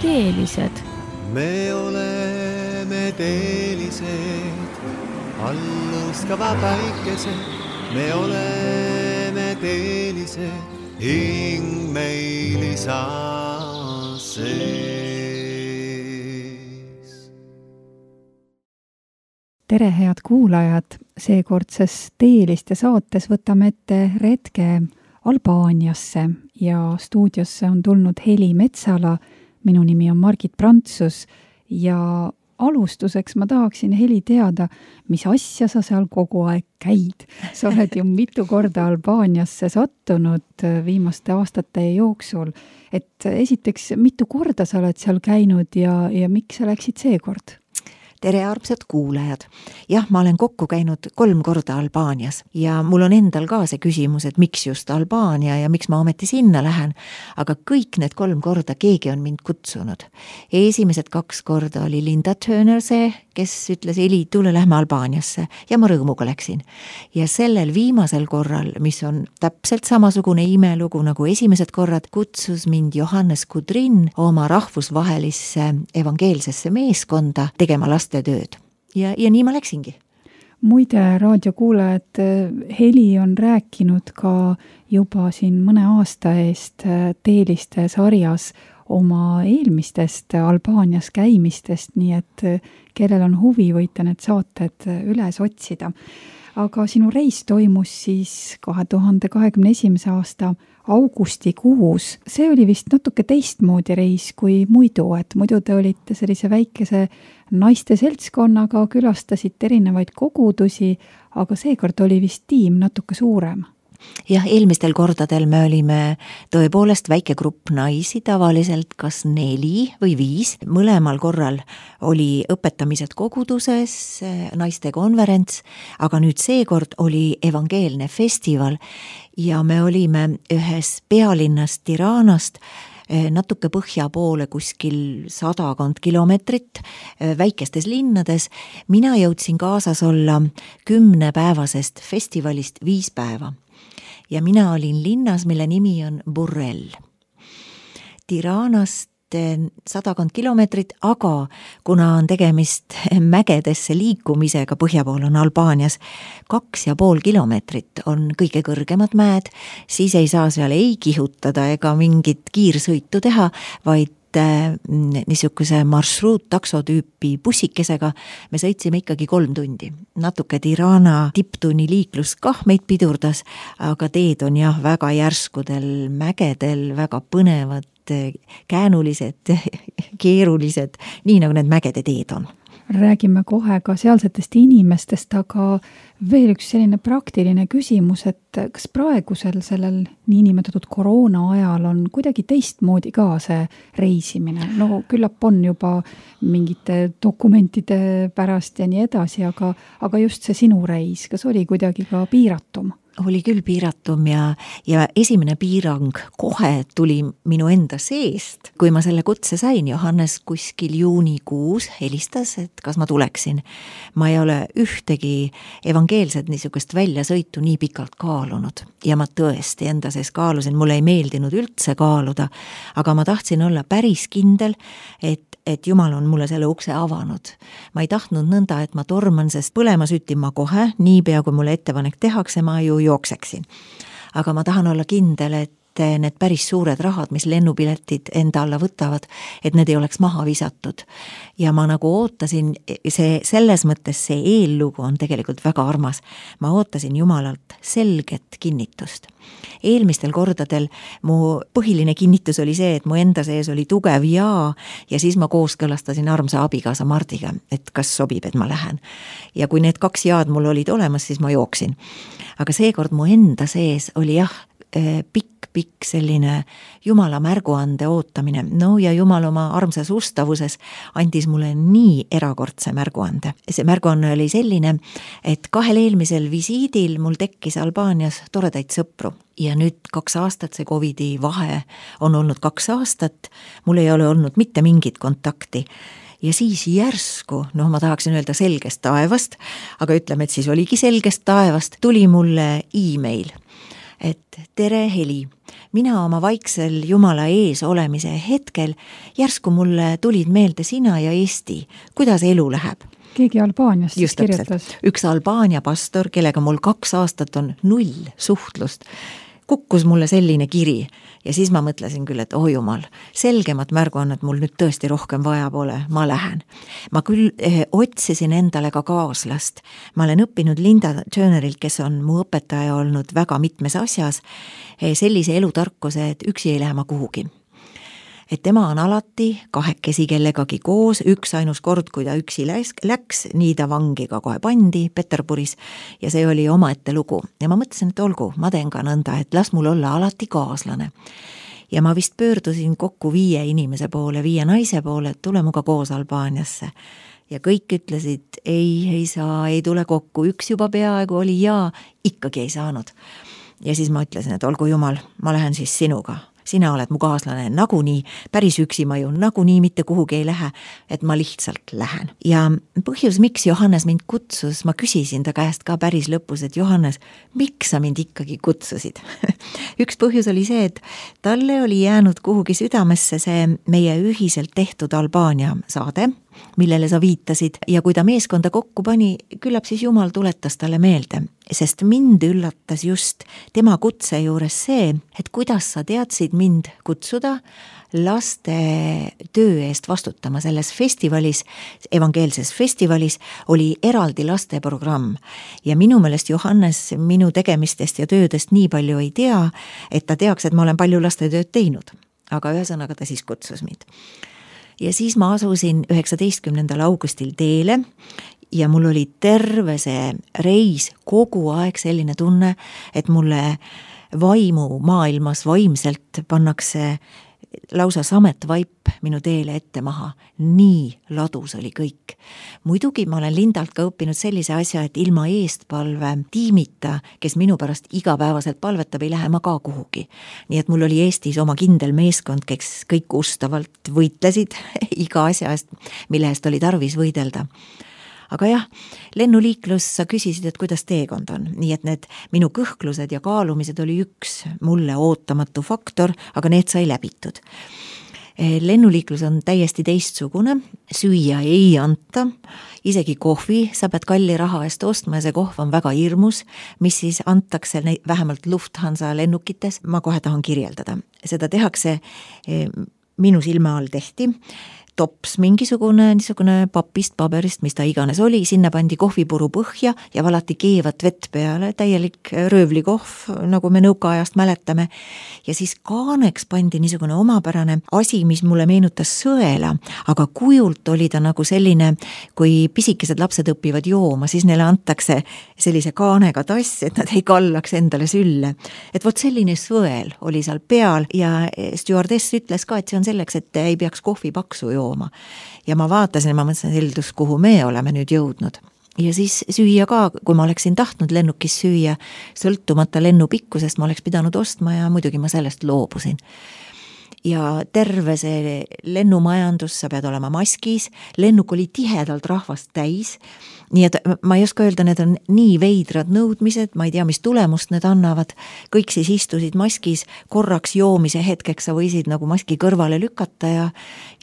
teelised. Me oleme teelised, allõskava päikesed. Me oleme teelised, hing meil isa sees. Tere, head kuulajad! Seekordses Teeliste saates võtame ette retke Albaaniasse ja stuudiosse on tulnud Heli Metsala. Minu nimi on Margit Prantsus ja alustuseks ma tahaksin, Heli, teada, mis asja sa seal kogu aeg käid. Sa oled ju mitu korda Albaaniasse sattunud viimaste aastate jooksul. Et esiteks, mitu korda sa oled seal käinud ja miks sa läksid seekord? Tere, armsad kuulajad! Jah, ma olen kokku käinud 3 korda Albaanias ja mul on endal ka see küsimus, et miks just Albaania ja miks ma ometi sinna lähen, aga kõik need 3 korda keegi on mind kutsunud. Esimesed 2 korda oli Linda Turner see, kes ütles, Eli, tule lähme Albaaniasse ja ma rõõmuga läksin. Ja sellel viimasel korral, mis on täpselt samasugune imelugu nagu esimesed korrad, kutsus mind Johannes Kudrin oma rahvusvahelisse evangeelsesse meeskonda tegema lastetööd. Ja nii ma läksingi. Muide, raadiokuulajad, Heli on rääkinud ka juba siin mõne aasta eest Teeliste sarjas oma eelmistest Albaanias käimistest, nii et kellel on huvi, võite need saated üles otsida. Aga sinu reis toimus siis 2021. aasta augustikuus. See oli vist natuke teistmoodi reis kui muidu, et muidu te olite sellise väikese naiste seltskonnaga, külastasite erinevaid kogudusi, aga seekord oli vist tiim natuke suurem. Jah, eelmistel kordadel me olime tõepoolest väike grupp naisi, tavaliselt kas 4 või 5. Mõlemal korral oli õpetamised koguduses, naiste konverents, aga nüüd seekord oli evangeelne festival ja me olime ühes pealinnast Tiranast natuke põhja poole kuskil 100 kilomeetrit väikestes linnades. Mina jõudsin kaasas olla 10-päevasest festivalist 5 päeva. Ja mina olin linnas, mille nimi on Burrell. Tiranast 100 kilomeetrit, aga kuna on tegemist mägedesse liikumisega, põhjapool on Albaanias 2,5 kilomeetrit on kõige kõrgemad mäed, siis ei saa seal ei kihutada ega mingit kiirsõitu teha, vaid niisuguse marsruut-taksotüüpi bussikesega me sõitsime ikkagi 3 tundi. Natuke Tirana tipptunni liiklus kah meid pidurdas, aga teed on jah väga järskudel mägedel, väga põnevad, käänulised, keerulised, nii nagu need mägede teed on. Räägime kohe ka sealsetest inimestest, aga veel üks selline praktiline küsimus, et kas praegusel sellel niinimetatud koroona ajal on kuidagi teistmoodi ka see reisimine? No küllap on juba mingite dokumentide pärast ja nii edasi, aga just see sinu reis, kas oli kuidagi ka piiratum? Oli küll piiratum ja esimene piirang kohe tuli minu enda seest. Kui ma selle kutse sain, Johannes kuskil juunikuus helistas, et kas ma tuleksin. Ma ei ole ühtegi evangeelset niisugust väljasõitu nii pikalt kaalunud ja ma tõesti enda sees kaalusin, mulle ei meeldinud üldse kaaluda, aga ma tahtsin olla päris kindel, et Jumal on mulle selle ukse avanud. Ma ei tahtnud nõnda, et ma torman, sest põlema sütin ma kohe, niipea kui mulle ettepanek tehakse, ma ju jookseksin. Aga ma tahan olla kindel, et need päris suured rahad, mis lennupiletid enda alla võtavad, et need ei oleks maha visatud. Ja ma nagu ootasin, selles mõttes see eellugu on tegelikult väga armas. Ma ootasin Jumalalt selget kinnitust. Eelmistel kordadel mu põhiline kinnitus oli see, et mu enda sees oli tugev ja siis ma kooskõlastasin armsa abikaasa Mardiga, et kas sobib, et ma lähen. Ja kui need 2 jaad mul olid olemas, siis ma jooksin. Aga seekord mu enda sees oli jah, pikk selline Jumala märguande ootamine. No ja Jumal oma armsas ustavuses andis mulle nii erakordse märguande. See märguanne oli selline, et 2 eelmisel visiidil mul tekkis Albaanias toredaid sõpru. Ja nüüd 2 aastat, see Covidi vahe on olnud 2 aastat, mul ei ole olnud mitte mingit kontakti. Ja siis järsku, ma tahaksin öelda selgest taevast, aga ütleme, et siis oligi selgest taevast, tuli mulle e-mail, et tere Heli, mina oma vaiksel Jumala ees olemise hetkel järsku mulle tulid meelde sina ja Eesti, kuidas elu läheb. Keegi Albaaniast just kirjutas. Üks Albaania pastor, kellega mul 2 aastat on 0 suhtlust, kukkus mulle selline kiri ja siis ma mõtlesin küll, et oh jumal, selgemat märguannet mul nüüd tõesti rohkem vaja pole, ma lähen. Ma küll otsisin endale ka kaaslast. Ma olen õppinud Linda Turnerilt, kes on mu õpetaja olnud väga mitmes asjas, sellise elutarkuse, et üksi ei lähe ma kuhugi. Et tema on alati kahekesi kellegagi koos, üks ainus kord, kui ta üksi läks, nii ta vangi ka kohe pandi Peterburis ja see oli omaette lugu. Ja ma mõtlesin, et olgu, ma teen ka nõnda, et las mul olla alati kaaslane. Ja ma vist pöördusin kokku 5 inimese poole, 5 naise poole, et tule muga koos Albaaniasse. Ja kõik ütlesid, ei saa, ei tule kokku, üks juba peaaegu oli ja ikkagi ei saanud. Ja siis ma ütlesin, et olgu jumal, ma lähen siis sinuga. Sina oled mu kaaslane, nagunii, päris üksi ma ju, nagunii mitte kuhugi ei lähe, et ma lihtsalt lähen. Ja põhjus, miks Johannes mind kutsus, ma küsisin ta käest ka päris lõpus, et Johannes, miks sa mind ikkagi kutsusid? Üks põhjus oli see, et talle oli jäänud kuhugi südamesse see meie ühiselt tehtud Albaania saade, millele sa viitasid ja kui ta meeskonda kokku pani, küllap siis Jumal tuletas talle meelde, sest mind üllatas just tema kutse juures see, et kuidas sa teadsid mind kutsuda laste töö eest vastutama selles festivalis, evangeelses festivalis oli eraldi lasteprogramm ja minu meelest Johannes minu tegemistest ja töödest nii palju ei tea, et ta teaks, et ma olen palju lastetööd teinud, aga ühesõnaga ta siis kutsus mind. Ja siis ma asusin 19. augustil teele ja mul oli terve see reis kogu aeg selline tunne, et mulle vaimu maailmas vaimselt pannakse lausa sametvaip minu teele ette maha. Nii ladus oli kõik. Muidugi ma olen Lindalt ka õppinud sellise asja, et ilma eestpalve tiimita, kes minu pärast igapäevaselt palvetab, ei lähe ma ka kuhugi. Nii et mul oli Eestis oma kindel meeskond, kes kõik ustavalt võitlesid iga asja eest, mille eest oli tarvis võidelda. Aga jah, lennuliiklus, sa küsisid, et kuidas teekond on. Nii et need minu kõhklused ja kaalumised oli üks mulle ootamatu faktor, aga need sai läbitud. Lennuliiklus on täiesti teistsugune, süüa ei anta, isegi kohvi sa pead kalli raha eest ostma ja see kohv on väga hirmus, mis siis antakse vähemalt Lufthansa lennukites, ma kohe tahan kirjeldada. Seda tehakse, minu silma all tehti, tops mingisugune papist, paberist, mis ta iganes oli, sinna pandi kohvipuru põhja ja valati keevat vett peale, täielik röövlikohv, nagu me nõukaajast mäletame. Ja siis kaaneks pandi niisugune omapärane asi, mis mulle meenutas sõela, aga kujult oli ta nagu selline, kui pisikesed lapsed õpivad jooma, siis neile antakse sellise kaanega tass, et nad ei kallaks endale sülle. Et vot selline sõel oli seal peal ja stjuardess ütles ka, et see on selleks, et ei peaks kohvi paksu jooma. Ja ma vaatasin, ma mõtlesin heldus, kuhu me oleme nüüd jõudnud. Ja siis süüa ka, kui ma oleksin tahtnud lennukis süüa, sõltumata lennu pikkusest, ma oleks pidanud ostma ja muidugi ma sellest loobusin. Ja terve see lennumajandus, sa pead olema maskis, lennuk oli tihedalt rahvast täis, nii et ma ei oska öelda, need on nii veidrad nõudmised, ma ei tea, mis tulemust need annavad, kõik siis istusid maskis, korraks joomise hetkeks sa võisid nagu maski kõrvale lükata ja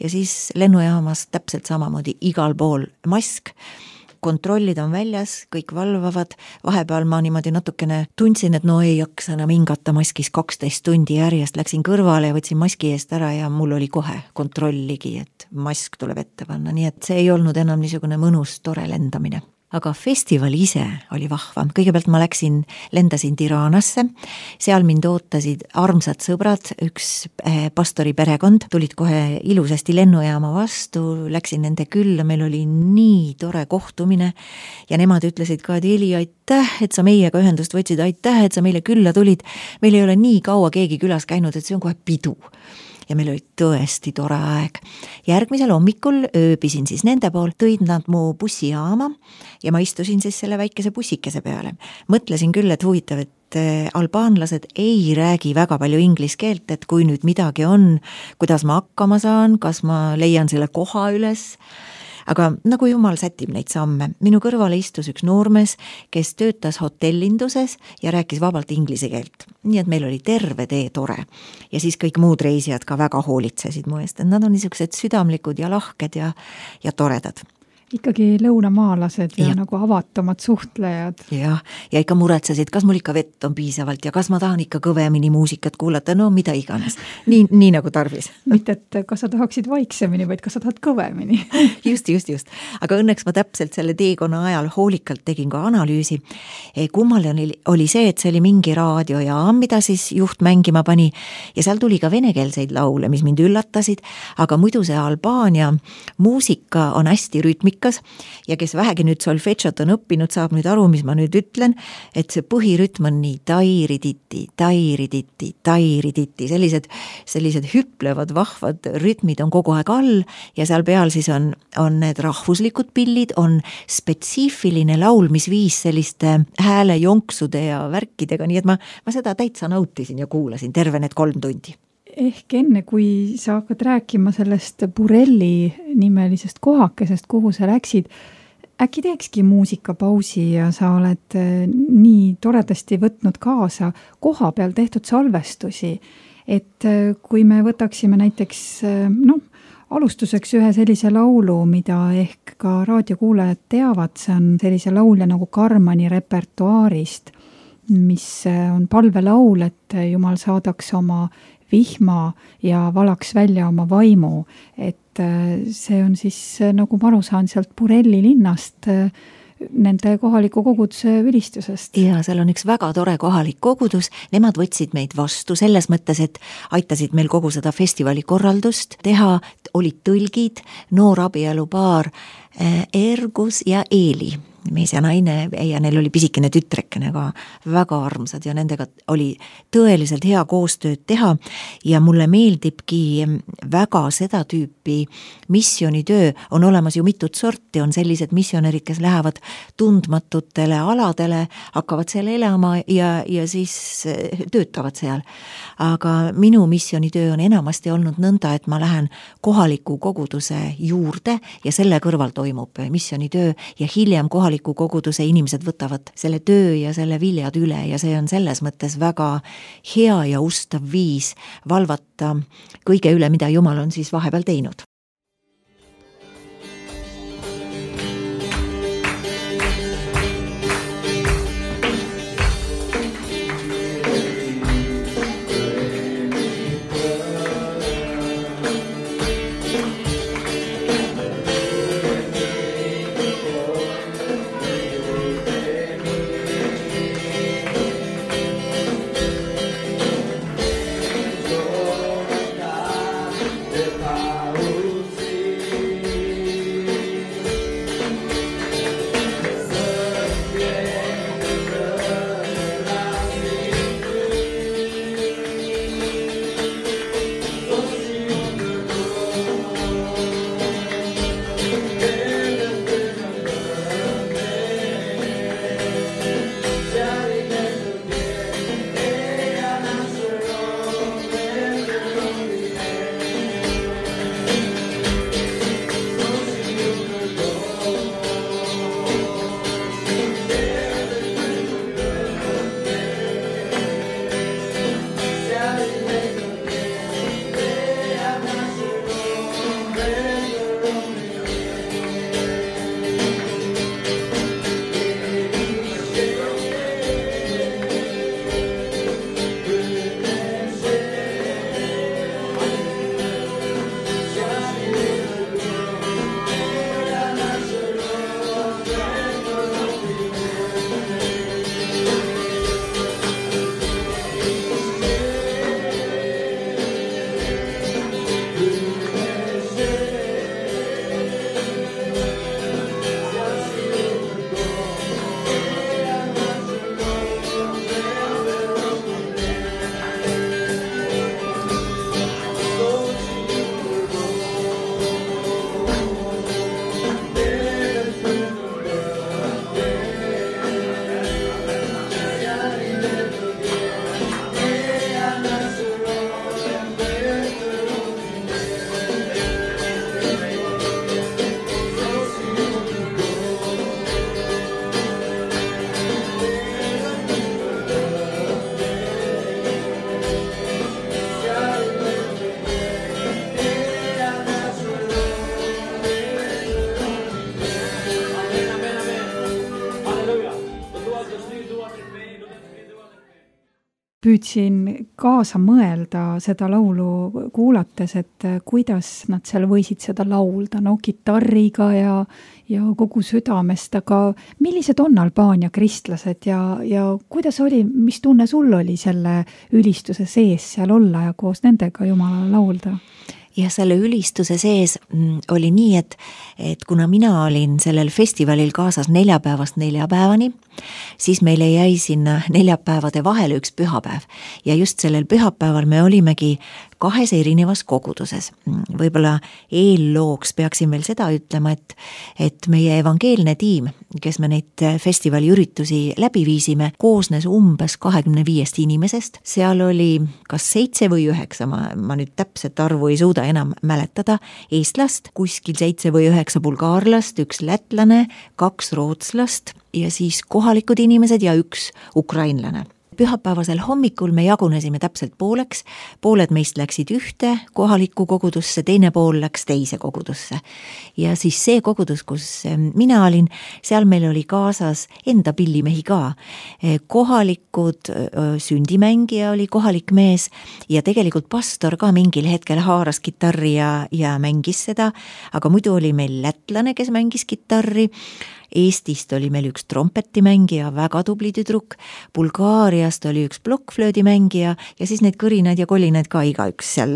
siis lennujaamas täpselt samamoodi igal pool mask, kontrollid on väljas, kõik valvavad, vahepeal ma niimoodi natukene tundsin, et no ei jaksa enam hingata maskis 12 tundi järjest, läksin kõrvale ja võtsin maski eest ära ja mul oli kohe kontrolligi, et mask tuleb ette panna, nii et see ei olnud enam niisugune mõnus, tore lendamine. Aga festival ise oli vahva. Kõigepealt ma lendasin Tiranasse, seal mind ootasid armsad sõbrad, üks pastori perekond, tulid kohe ilusasti lennujaama vastu, läksin nende külla, meil oli nii tore kohtumine ja nemad ütlesid ka, et Eli, aitäh, et sa meiega ühendust võtsid, aitäh, et sa meile külla tulid, meil ei ole nii kaua keegi külas käinud, et see on kohe pidu. Ja meil oli tõesti tore aeg. Järgmisel hommikul ööbisin siis nende pool, tõid nad mu bussijaama ja ma istusin siis selle väikese bussikese peale. Mõtlesin küll, et huvitav, et albaanlased ei räägi väga palju inglise keelt, et kui nüüd midagi on, kuidas ma hakkama saan, kas ma leian selle koha üles. aga nagu jumal sätib neid samme. Minu kõrvale istus üks noormees, kes töötas hotellinduses ja rääkis vabalt inglise keelt. Nii et meil oli terve tee tore. Ja siis kõik muud reisijad ka väga hoolitsesid mu eest, et nad on niisugused südamlikud ja lahked ja toredad. Ikkagi lõunamaalased ja nagu avatumad suhtlejad. Ja ikka muretsesid, kas mul ikka vett on piisavalt ja kas ma tahan ikka kõvemini muusikat kuulata, no mida iganes. Nii nagu tarvis. Mitte, et kas sa tahaksid vaiksemini, vaid kas sa tahad kõvemini. Just. Aga õnneks ma täpselt selle teekonna ajal hoolikalt tegin ka analüüsi. Kummaline oli see, et see oli mingi raadiojaam, mida siis juht mängima pani ja seal tuli ka venekeelseid laule, mis mind üllatasid, aga muidu see Albaania muusika on hästi rütmikas ja kes vähegi nüüd solfedžot on õppinud, saab nüüd aru, mis ma nüüd ütlen, et see põhirütm on nii tairiditi, sellised hüplevad, vahvad rütmid on kogu aeg all ja seal peal siis on need rahvuslikud pillid, on spetsiifiline laulmisviis selliste häälejonksude ja värkidega, nii et ma seda täitsa nautisin ja kuulasin terve need 3 tundi. Ehk enne, kui sa hakkad rääkima sellest Burelli nimelisest kohakesest, kuhu sa läksid, äkki teekski muusikapausi ja sa oled nii toredasti võtnud kaasa koha peal tehtud salvestusi, et kui me võtaksime näiteks alustuseks ühe sellise laulu, mida ehk ka raadiokuulajad teavad, see on sellise laulja nagu Karmani repertuaarist, mis on palvelaul, et Jumal saadaks oma vihma ja valaks välja oma vaimu, et see on siis, nagu ma aru saan, sealt Burelli linnast nende kohaliku koguduse ülistusest. Ja seal on üks väga tore kohalik kogudus, nemad võtsid meid vastu selles mõttes, et aitasid meil kogu seda festivali korraldust teha, olid tõlgid, noor abielupaar Ergus ja Eeli, mees ja naine ja neil oli pisikene tütrekene ka, väga armsad ja nendega oli tõeliselt hea koostööd teha ja mulle meeldibki väga seda tüüpi missioonitöö, on olemas ju mitut sorti, on sellised missionärid, kes lähevad tundmatutele aladele, hakkavad seal elama ja siis töötavad seal. Aga minu missioonitöö on enamasti olnud nõnda, et ma lähen kohaliku koguduse juurde ja selle kõrval toimub missioonitöö ja hiljem kohaliku koguduse inimesed võtavad selle töö ja selle viljad üle ja see on selles mõttes väga hea ja ustav viis valvata kõige üle, mida Jumal on siis vahepeal teinud. Paul püüdsin kaasa mõelda seda laulu kuulates, et kuidas nad seal võisid seda laulda, no kitarriga ja kogu südamest, aga millised on Albaania kristlased ja kuidas oli, mis tunne sul oli selle ülistuse sees seal olla ja koos nendega Jumalale laulda? Ja selle ülistuse sees oli nii, et kuna mina olin sellel festivalil kaasas 4 päevast 4 päevani, siis meile jäi sinna 4 päevade vahele üks pühapäev. Ja just sellel pühapäeval me olimegi 2 erinevas koguduses. Võib-olla eellooks peaksin veel seda ütlema, et meie evangeelne tiim, kes me neid festivali üritusi läbi viisime, koosnes umbes 25 inimesest. Seal oli kas 7 või 9, ma nüüd täpset arvu ei suuda enam mäletada, eestlast, kuskil 7 või 9 bulgaarlast, 1 lätlane, 2 rootslast ja siis kohalikud inimesed ja 1 ukrainlane. Pühapäevasel hommikul me jagunesime täpselt pooleks, pooled meist läksid ühte kohalikku kogudusse, teine pool läks teise kogudusse. Ja siis see kogudus, kus mina olin, seal meil oli kaasas enda pillimehi ka. Kohalikud sündimängija oli kohalik mees ja tegelikult pastor ka mingil hetkel haaras kitarri ja mängis seda, aga muidu oli meil lätlane, kes mängis kitarri. Eestist oli meil 1 trompetimängija, väga tubli tüdruk, Bulgaariast oli 1 plokkflöödimängija ja siis need kõrinaid ja kolinaid ka igaüks seal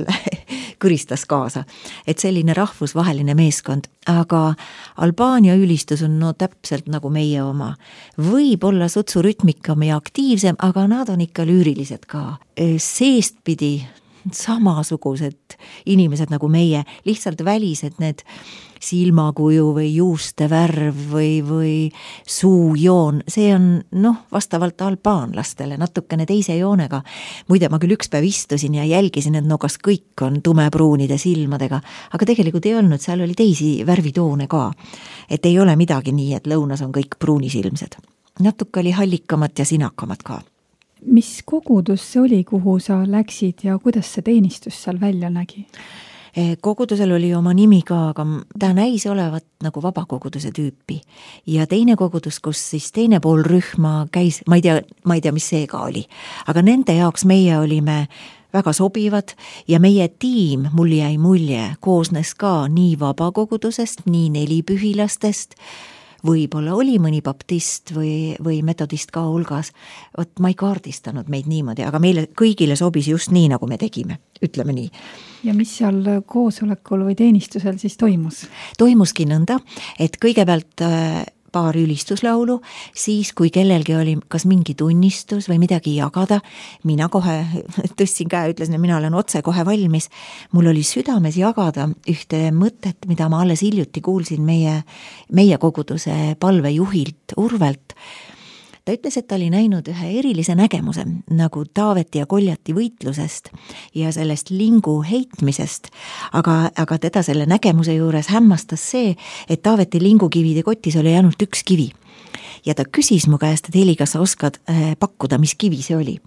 kõristas kaasa. Et selline rahvusvaheline meeskond, aga Albaania ülistus on täpselt nagu meie oma. Võib-olla sutsurütmikam ja aktiivsem, aga nad on ikka lüürilised ka. Seestpidi samasugused inimesed nagu meie, lihtsalt välised need silmakuju või juuste värv või suujoon, see on vastavalt albaanlastele natukene teise joonega. Muide, ma küll üks päev istusin ja jälgisin, et kas kõik on tumepruunide silmadega, aga tegelikult ei olnud, seal oli teisi värvitoone ka. Et ei ole midagi nii, et lõunas on kõik pruunisilmsed. Natuke oli hallikamat ja sinakamat ka. Mis kogudus see oli, kuhu sa läksid ja kuidas see teenistus seal välja nägi? Kogudusel oli oma nimi ka, aga ta näis olevat nagu vabakoguduse tüüpi. Ja teine kogudus, kus siis teine pool rühma käis, ma ei tea, mis see ka oli. Aga nende jaoks meie olime väga sobivad ja meie tiim, mul jäi mulje, koosnes ka nii vabakogudusest, nii nelipühilastest, võib-olla oli mõni baptist või metodist ka hulgas. Ma ei kaardistanud meid niimoodi, aga meile kõigile sobis just nii, nagu me tegime, ütleme nii. Ja mis seal koosolekul või teenistusel siis toimus? Toimuski nõnda, et kõigepealt paar ülistuslaulu, siis kui kellelgi oli kas mingi tunnistus või midagi jagada, mina kohe tõstsin käe, ütlesin, et mina olen otse kohe valmis. Mul oli südames jagada ühte mõtet, mida ma alles hiljuti kuulsin meie koguduse palvejuhilt Urvelt. Ta ütles, et ta oli näinud ühe erilise nägemuse nagu Taaveti ja Koljati võitlusest ja sellest lingu heitmisest, aga teda selle nägemuse juures hämmastas see, et Taaveti lingukivide kotis oli ainult 1 kivi. Ja ta küsis mu käest, et Heli, kas sa oskad pakkuda, mis kivi see oli?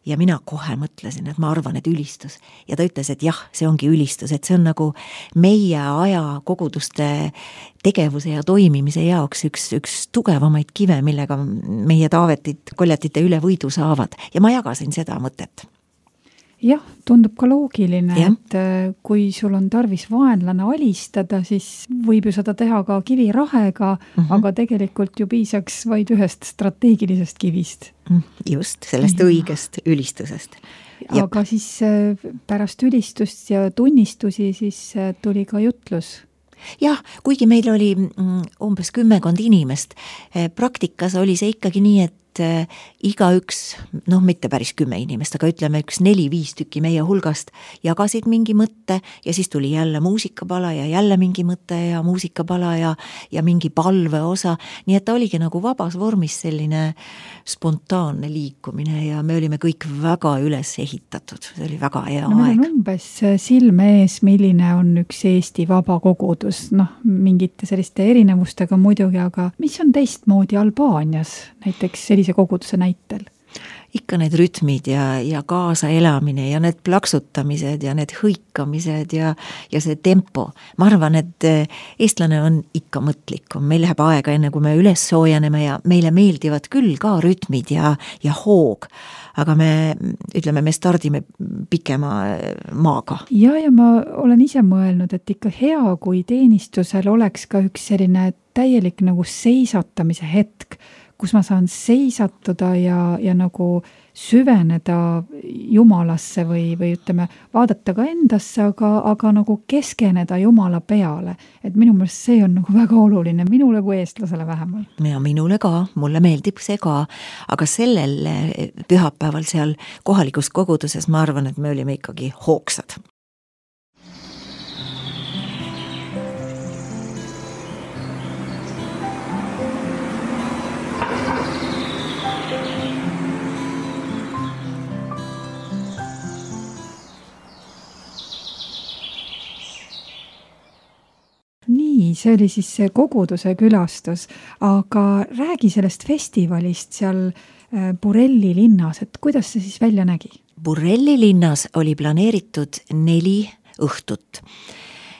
Ja mina kohe mõtlesin, et ma arvan, et ülistus. Ja ta ütles, et jah, see ongi ülistus, et see on nagu meie aja koguduste tegevuse ja toimimise jaoks üks tugevamaid kive, millega meie Taavetit, Koljatite üle võidu saavad. Ja ma jagasin seda mõtet. Jah, tundub ka loogiline, et kui sul on tarvis vaenlane alistada, siis võib ju seda teha ka kivirahega, aga tegelikult ju piisaks vaid ühest strateegilisest kivist. Just, sellest õigest ülistusest. Aga siis pärast ülistust ja tunnistusi siis tuli ka jutlus. Jah, kuigi meil oli umbes 10 inimest, praktikas oli see ikkagi nii, et igaüks, mitte päris 10 inimest, aga ütleme 4-5 tükki meie hulgast jagasid mingi mõtte ja siis tuli jälle muusikapala ja jälle mingi mõte ja muusikapala ja mingi palve osa. Nii et ta oligi nagu vabas vormis selline spontaanne liikumine ja me olime kõik väga üles ehitatud. See oli väga hea aeg. Meil on umbes silme ees, milline on üks Eesti vaba kogudus, mingite selliste erinevustega muidugi, aga mis on teistmoodi Albaanias näiteks sellise koguduse näitel? ikka need rütmid ja kaasa elamine ja need plaksutamised ja need hõikamised ja see tempo. Ma arvan, et eestlane on ikka mõtlikum. Meil läheb aega enne, kui me üles soojaneme ja meile meeldivad küll ka rütmid ja hoog, aga me stardime pikema maaga. Ja ma olen ise mõelnud, et ikka hea, kui teenistusel oleks ka üks selline täielik nagu seisatamise hetk, kus ma saan seisatuda ja nagu süveneda Jumalasse või ütleme, vaadata ka endasse, aga nagu keskeneda Jumala peale. Et minu meelest see on nagu väga oluline, minule kui eestlasele vähemalt. Ja minule ka, mulle meeldib see ka, aga sellel pühapäeval seal kohalikus koguduses ma arvan, et me olime ikkagi hoogsad. Nii, see oli siis see koguduse külastus, aga räägi sellest festivalist seal Burelli linnas, et kuidas see siis välja nägi? Burelli linnas oli planeeritud 4 õhtut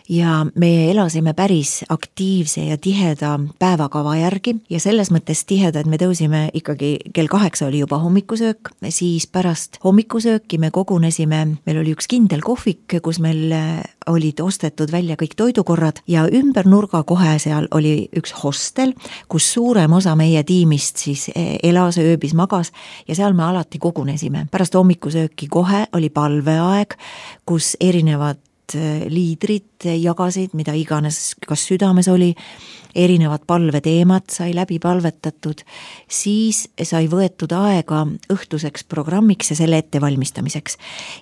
ja me elasime päris aktiivse ja tiheda päevakava järgi ja selles mõttes tiheda, et me tõusime ikkagi kell 8 oli juba hommikusöök, siis pärast hommikusööki me kogunesime, meil oli üks kindel kohvik, kus meil olid ostetud välja kõik toidukorrad ja ümber nurga kohe seal oli üks hostel, kus suurem osa meie tiimist siis elas, ööbis, magas ja seal me alati kogunesime. Pärast hommikusööki kohe oli palveaeg, kus erinevad liidrid jagasid, mida iganes kas südames oli, erinevad palveteemad sai läbi palvetatud, siis sai võetud aega õhtuseks programmiks ja selle ettevalmistamiseks.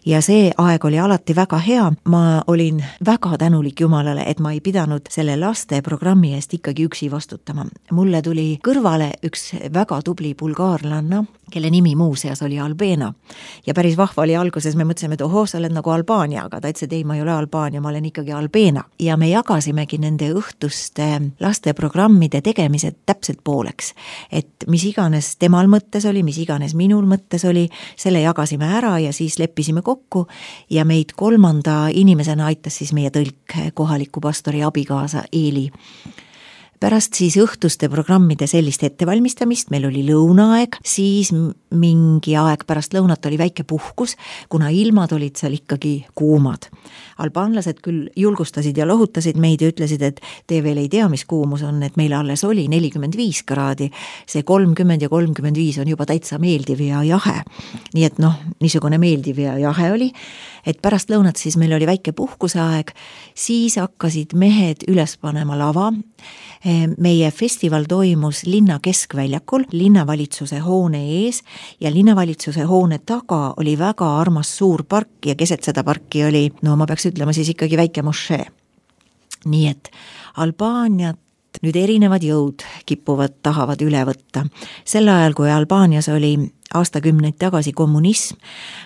Ja see aeg oli alati väga hea, ma olin väga tänulik Jumalale, et ma ei pidanud selle laste programmi eest ikkagi üksi vastutama. Mulle tuli kõrvale üks väga tubli bulgaarlanna, kelle nimi muuseas oli Albena. Ja päris vahva oli alguses, me mõtlesime, et sa oled nagu Albaania, aga ta ütles, et ei, ma ei ole Albaania, ma olen ikkagi Albena. Ja me jagasimegi nende õhtuste laste programmide tegemised täpselt pooleks. Et mis iganes temal mõttes oli, mis iganes minul mõttes oli, selle jagasime ära ja siis leppisime kokku ja meid 3. inimesena aitas siis meie tõlk kohaliku pastori abikaasa Eeli. Pärast siis õhtuste programmide sellist ettevalmistamist, meil oli lõunaaeg, siis mingi aeg pärast lõunat oli väike puhkus, kuna ilmad olid seal ikkagi kuumad. Albaanlased küll julgustasid ja lohutasid meid ja ütlesid, et te veel ei tea, mis kuumus on, et meil alles oli 45 kraadi, see 30 ja 35 on juba täitsa meeldiv ja jahe. Nii et niisugune meeldiv ja jahe oli, et pärast lõunat siis meil oli väike puhkuseaeg, siis hakkasid mehed üles panema lava. Meie festival toimus linna keskväljakul, linnavalitsuse hoone ees ja linnavalitsuse hoone taga oli väga armas suur park ja keset seda parki oli, ma peaks ütlema siis ikkagi väike mošee. Nii et Albaaniat nüüd erinevad jõud tahavad üle võtta. Sel ajal, kui Albaanias oli aastakümneid tagasi kommunism,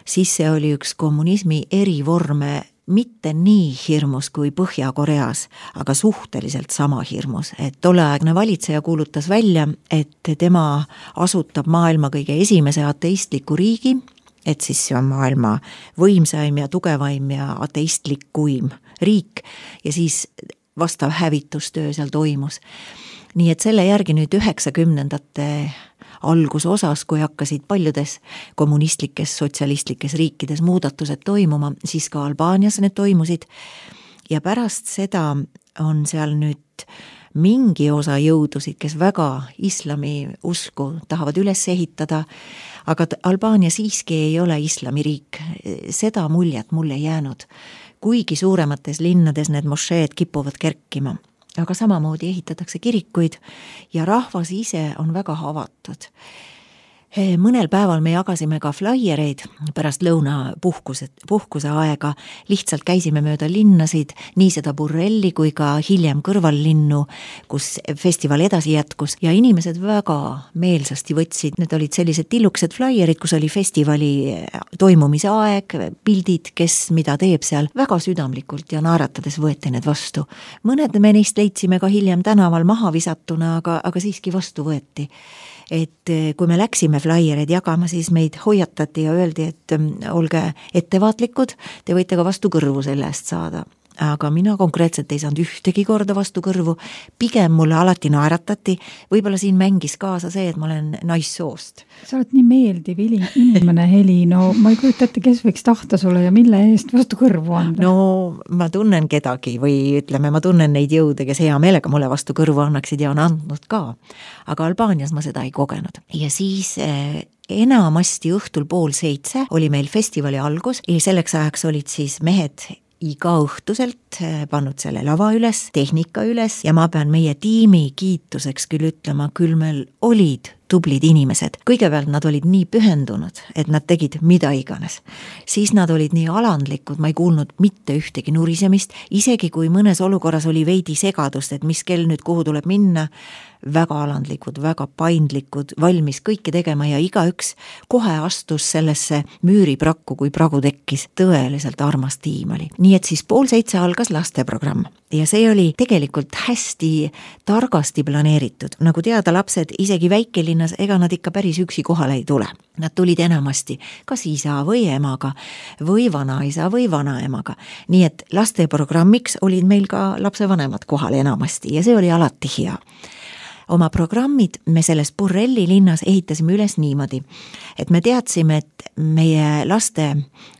siis see oli üks kommunismi erivorme, mitte nii hirmus kui Põhja-Koreas, aga suhteliselt sama hirmus. Et tolleaegne valitseja kuulutas välja, et tema asutab maailma kõige esimese ateistliku riigi, et siis see on maailma võimsaim ja tugevaim ja ateistlikuim riik ja siis vastav hävitustöö seal toimus. Nii et selle järgi nüüd 90ndate algusosas, kui hakkasid paljudes kommunistlikes, sotsialistlikes riikides muudatused toimuma, siis ka Albaanias need toimusid ja pärast seda on seal nüüd mingi osa jõudusid, kes väga islami usku tahavad üles ehitada, aga Albaania siiski ei ole islamiriik. Seda muljet mulle jäänud, kuigi suuremates linnades need mošeed kipuvad kerkima. Aga samamoodi ehitatakse kirikuid ja rahvas ise on väga avatud. Mõnel päeval me jagasime ka flaiereid pärast lõuna puhkuse aega, lihtsalt käisime mööda linnasid, nii seda Burelli kui ka hiljem kõrvallinnu, kus festival edasi jätkus ja inimesed väga meelsasti võtsid, need olid sellised tillukesed flaierid, kus oli festivali toimumise aeg, pildid, kes mida teeb seal, väga südamlikult ja naeratades võeti need vastu. Mõned me neist leidsime ka hiljem tänaval maha visatuna, aga siiski vastu võeti. et kui me läksime flaiereid jagama, siis meid hoiatati ja öeldi, et olge ettevaatlikud, te võite ka vastu kõrvu selle eest saada. Aga mina konkreetselt ei saanud ühtegi korda vastu kõrvu, pigem mulle alati naeratati, võib-olla siin mängis kaasa see, et ma olen naissoost. Sa oled nii meeldiv inimene, Heli, no ma ei kujuta ette, kes võiks tahta sulle ja mille eest vastu kõrvu anda? No ma tunnen kedagi või ütleme, ma tunnen neid jõude, kes hea meelega mulle vastu kõrvu annaksid ja on andnud ka. Aga Albaanias ma seda ei kogenud. Ja siis enamasti õhtul 6:30 oli meil festivali algus ja selleks ajaks olid siis mehed iga õhtuselt pannud selle lava üles, tehnika üles ja ma pean meie tiimi kiituseks küll ütlema, küll meil olid tublid inimesed. Kõigepealt nad olid nii pühendunud, et nad tegid mida iganes. Siis nad olid nii alandlikud, ma ei kuulnud mitte ühtegi nurisemist, isegi kui mõnes olukorras oli veidi segadust, et mis kell nüüd kuhu tuleb minna, väga alandlikud, väga paindlikud, valmis kõike tegema ja igaüks kohe astus sellesse müüriprakku, kui pragu tekkis. Tõeliselt armas tiim oli. Nii et siis 6:30 algas lasteprogramm ja see oli tegelikult hästi targasti planeeritud. Nagu teada, lapsed isegi väikelinnas, ega nad ikka päris üksi kohale ei tule. Nad tulid enamasti kas isa või emaga või vanaisa või vanaemaga. Nii et lasteprogrammiks olid meil ka lapsevanemad kohal enamasti ja see oli alati hea. Oma programmid me selles Burrelli linnas ehitasime üles niimoodi, et me teadsime, et meie laste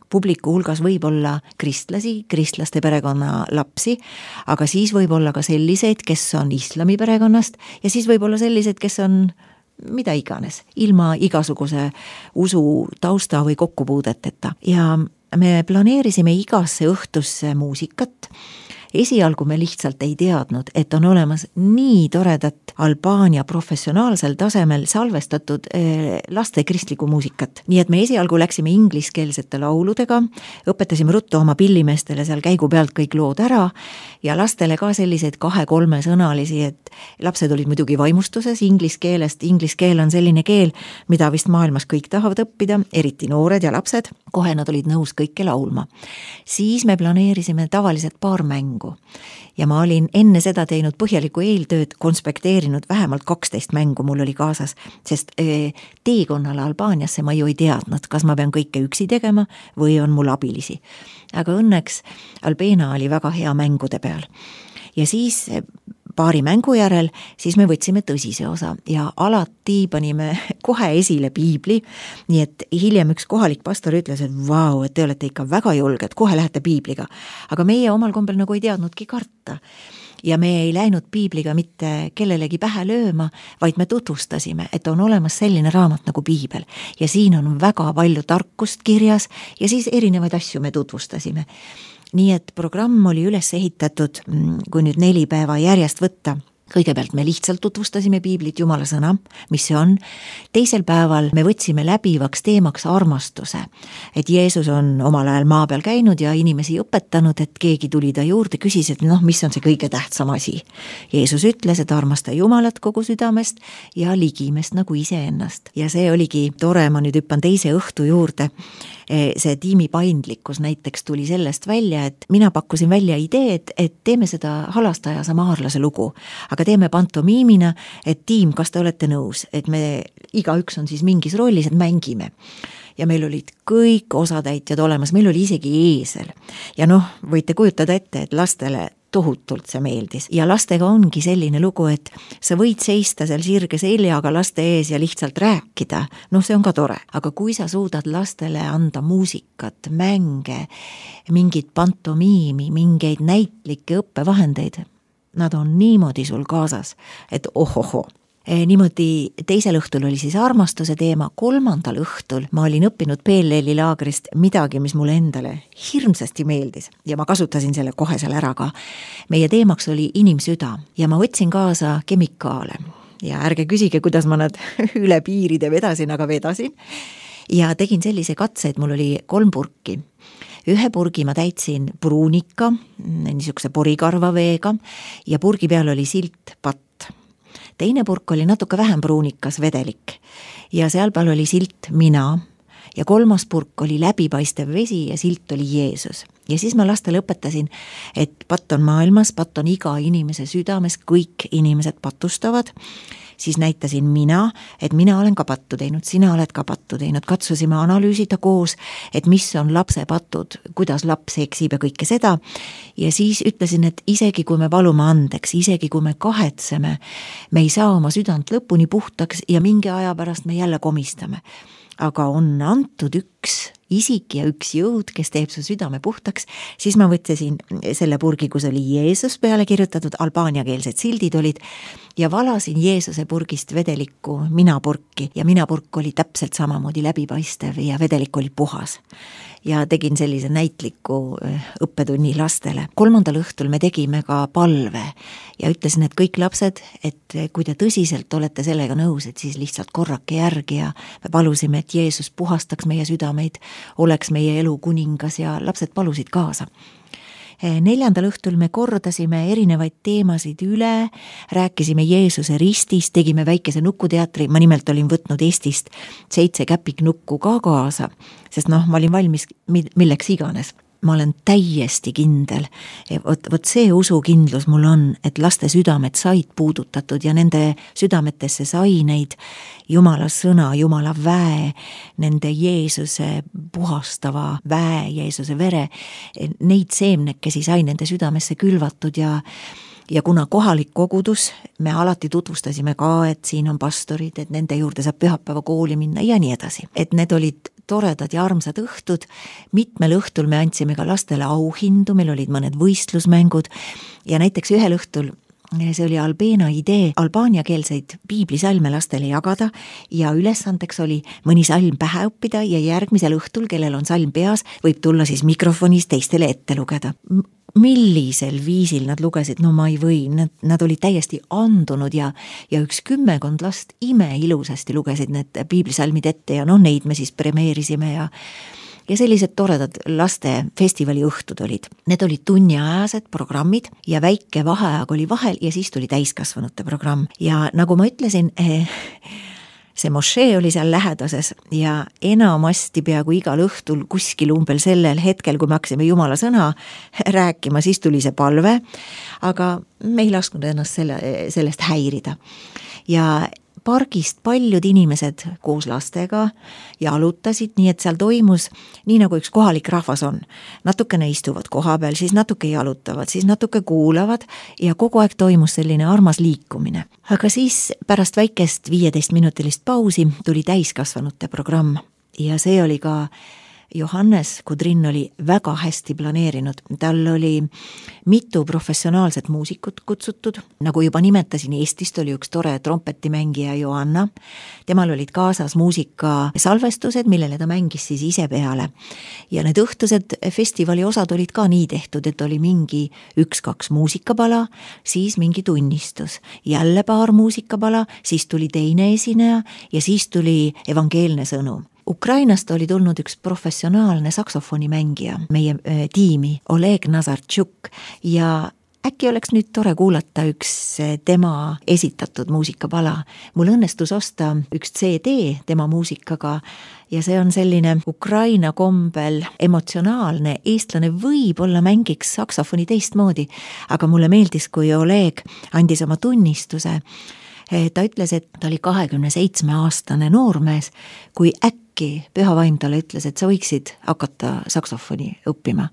publiku hulgas võib olla kristlasi, kristlaste perekonna lapsi, aga siis võib olla ka selliseid, kes on islami perekonnast ja siis võib olla selliseid, kes on mida iganes, ilma igasuguse usu tausta või kokkupuudeteta. Ja me planeerisime igasse õhtusse muusikat. Esialgu me lihtsalt ei teadnud, et on olemas nii toredat Albaania professionaalsel tasemel salvestatud laste kristlikku muusikat. Nii et me esialgu läksime ingliskeelsete lauludega, õpetasime ruttu oma pillimeestele seal käigu pealt kõik lood ära ja lastele ka selliseid 2-3 sõnalisi, et lapsed olid muidugi vaimustuses inglise keelest. Inglise keel on selline keel, mida vist maailmas kõik tahavad õppida, eriti noored ja lapsed. Kohe nad olid nõus kõike laulma. Siis me planeerisime tavaliselt paar mängu. Ja ma olin enne seda teinud põhjaliku eeltööd, konspekteerinud vähemalt 12 mängu mul oli kaasas, sest teekonnale Albaaniasse ma ju ei teadnud, kas ma pean kõike üksi tegema või on mul abilisi. Aga õnneks Albeena oli väga hea mängude peal. Ja siis paari mängu järel, siis me võtsime tõsise osa ja alati panime kohe esile piibli, nii et hiljem üks kohalik pastor ütles, et vau, et te olete ikka väga julged, kohe lähete piibliga. Aga meie omal kombel nagu ei teadnudki karta. Ja me ei läinud piibliga mitte kellelegi pähe lööma, vaid me tutvustasime, et on olemas selline raamat nagu piibel ja siin on väga palju tarkust kirjas ja siis erinevaid asju me tutvustasime. Nii et programm oli üles ehitatud, kui nüüd 4 päeva järjest võtta. Kõigepealt me lihtsalt tutvustasime piiblit, Jumala sõna, mis see on. Teisel päeval me võtsime läbivaks teemaks armastuse, et Jeesus on omal ajal maa peal käinud ja inimesi õpetanud, et keegi tuli ta juurde, küsis, et mis on see kõige tähtsam asi. Jeesus ütles, et armasta Jumalat kogu südamest ja ligimest nagu iseennast. Ja see oligi tore, ma nüüd hüppan teise õhtu juurde. See tiimi paindlikkus näiteks tuli sellest välja, et mina pakkusin välja idee, et teeme seda halastaja samaarlase lugu, aga teeme pantomiimina, et tiim, kas te olete nõus, et me igaüks on siis mingis rollis, et mängime. Ja meil olid kõik osatäitjad olemas, meil oli isegi eesel. Ja võite kujutada ette, et lastele tohutult see meeldis. Ja lastega ongi selline lugu, et sa võid seista seal sirge seljaga laste ees ja lihtsalt rääkida. See on ka tore. Aga kui sa suudad lastele anda muusikat, mänge, mingit pantomiimi, mingeid näitlikke õppevahendeid, nad on niimoodi sul kaasas, et ohoho. Niimoodi teisel õhtul oli siis armastuse teema, 3. õhtul ma olin õppinud PLL-i laagrist midagi, mis mulle endale hirmsasti meeldis ja ma kasutasin selle kohe seal ära ka. Meie teemaks oli inimsüda ja ma võtsin kaasa kemikaale ja ärge küsige, kuidas ma nad üle piiride vedasin, aga vedasin ja tegin sellise katse, et mul oli 3 purki. 1 purgi ma täitsin pruunika, niisuguse porikarva veega ja purgi peal oli silt patt. Teine purk oli natuke vähem pruunikas vedelik ja seal peal oli silt mina ja 3. purk oli läbipaistev vesi ja silt oli Jeesus. Ja siis ma lastele õpetasin, et patt on maailmas, patt on iga inimese südames, kõik inimesed patustavad. Siis näitasin mina, et mina olen ka pattu teinud, sina oled ka pattu teinud. Katsusime analüüsida koos, et mis on lapse patud, kuidas laps eksib ja kõike seda. Ja siis ütlesin, et isegi kui me valume andeks, isegi kui me kahetseme, me ei saa oma südant lõpuni puhtaks ja mingi aja pärast me jälle komistame. Aga on antud üks isik ja üks jõud, kes teeb su südame puhtaks, siis ma võtsesin selle purgi, kus oli Jeesus peale kirjutatud, albaaniakeelsed sildid olid, ja valasin Jeesuse purgist vedelikku minapurki ja minapurk oli täpselt samamoodi läbipaistev ja vedelik oli puhas. Ja tegin sellise näitliku õppetunni lastele. 3. õhtul me tegime ka palve ja ütlesin, et kõik lapsed, et kui te tõsiselt olete sellega nõus, et siis lihtsalt korrake järgi ja me palusime, et Jeesus puhastaks meie südameid, oleks meie elu kuningas ja lapsed palusid kaasa. 4. õhtul me kordasime erinevaid teemasid üle, rääkisime Jeesuse ristist, tegime väikese nukuteatri, ma nimelt olin võtnud Eestist 7 käpiknukku ka kaasa, sest ma olin valmis milleks iganes. Ma olen täiesti kindel, vot see usukindlus mul on, et laste südamed said puudutatud ja nende südametesse sai neid Jumala sõna, Jumala väe, nende Jeesuse puhastava väe, Jeesuse vere, neid seemnekesi sai nende südamesse külvatud ja kuna kohalik kogudus, me alati tutvustasime ka, et siin on pastorid, et nende juurde saab pühapäeva kooli minna ja nii edasi. Et need olid toredad ja armsad õhtud, mitmel õhtul me andsime ka lastele auhindu, meil olid mõned võistlusmängud ja näiteks ühel õhtul, see oli Albeena idee, albaaniakeelseid piiblisalme lastele jagada ja ülesandeks oli mõni salm pähe õppida ja järgmisel õhtul, kellel on salm peas, võib tulla siis mikrofonis teistele ette lugeda. Millisel viisil nad lugesid, no ma ei või, nad olid täiesti andunud ja üks 10 last imeilusasti lugesid need piiblisalmid ette ja neid me siis premeerisime ja sellised toredad laste festivali õhtud olid. Need olid tunniajased programmid ja väike vaheaeg oli vahel ja siis tuli täiskasvanute programm ja nagu ma ütlesin, see mošee oli seal lähedases ja enamasti peaaegu igal õhtul kuskil umbel sellel hetkel, kui me hakkasime Jumala sõna rääkima, siis tuli see palve, aga me ei lasknud ennast sellest häirida. Ja pargist paljud inimesed koos lastega jalutasid, nii et seal toimus nii nagu üks kohalik rahvas on. Natukene istuvad koha peal, siis natuke jalutavad, siis natuke kuulavad ja kogu aeg toimus selline armas liikumine. Aga siis pärast väikest 15-minutilist pausi tuli täiskasvanute programm ja see oli ka Johannes Kudrin oli väga hästi planeerinud. Tal oli mitu professionaalset muusikut kutsutud. Nagu juba nimetasin, Eestist oli üks tore trompetimängija Joanna. Temal olid kaasas muusika salvestused, millele ta mängis siis ise peale. Ja need õhtused festivali osad olid ka nii tehtud, et oli mingi 1-2 muusikapala, siis mingi tunnistus. Jälle paar muusikapala, siis tuli teine esineja ja siis tuli evangeelne sõnum. Ukrainast oli tulnud üks professionaalne saksofonimängija meie tiimi, Oleg Nazartšuk ja äkki oleks nüüd tore kuulata üks tema esitatud muusikapala. Mul õnnestus osta üks CD tema muusikaga ja see on selline Ukraina kombel emotsionaalne, eestlane võib-olla mängiks saksofoni teistmoodi, aga mulle meeldis, kui Oleg andis oma tunnistuse. Ta ütles, et ta oli 27-aastane noormees, kui äkki püha vaim talle ütles, et sa võiksid hakata saksofoni õppima.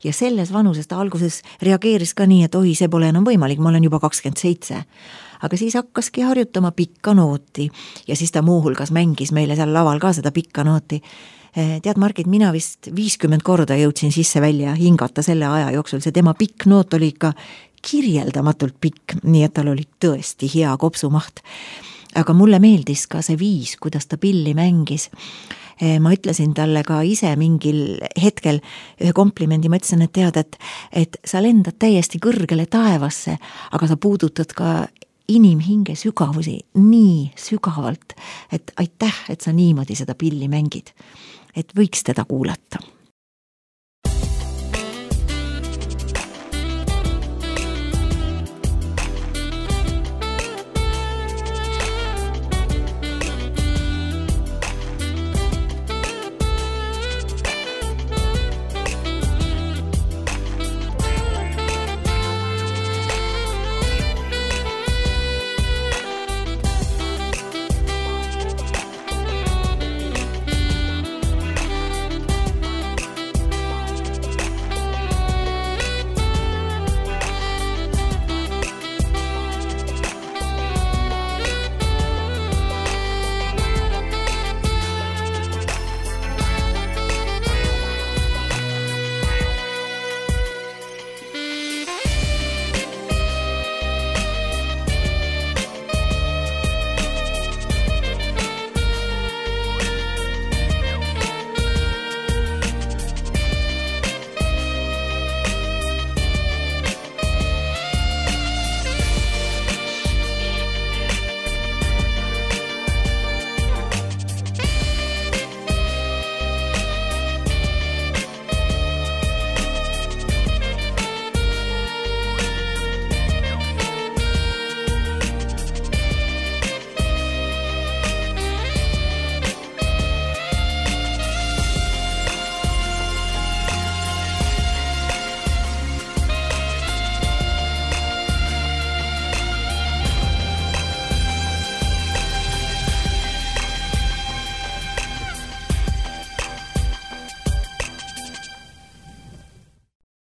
Ja selles vanuses ta alguses reageeris ka nii, et oi, see pole enam võimalik, ma olen juba 27. Aga siis hakkaski harjutama pikka nooti ja siis ta muuhulgas mängis meile seal laval ka seda pikka nooti. Tead, Margit, mina vist 50 korda jõudsin sisse välja hingata selle aja jooksul, see tema pikk noot oli ikka kirjeldamatult pikk, nii et tal oli tõesti hea kopsumaht. Aga mulle meeldis ka see viis, kuidas ta pilli mängis. Ma ütlesin talle ka ise mingil hetkel ühe komplimendi, ma ütlesin, et tead, et sa lendad täiesti kõrgele taevasse, aga sa puudutad ka inimhinge sügavusi nii sügavalt, et aitäh, et sa niimoodi seda pilli mängid. Et võiks teda kuulata.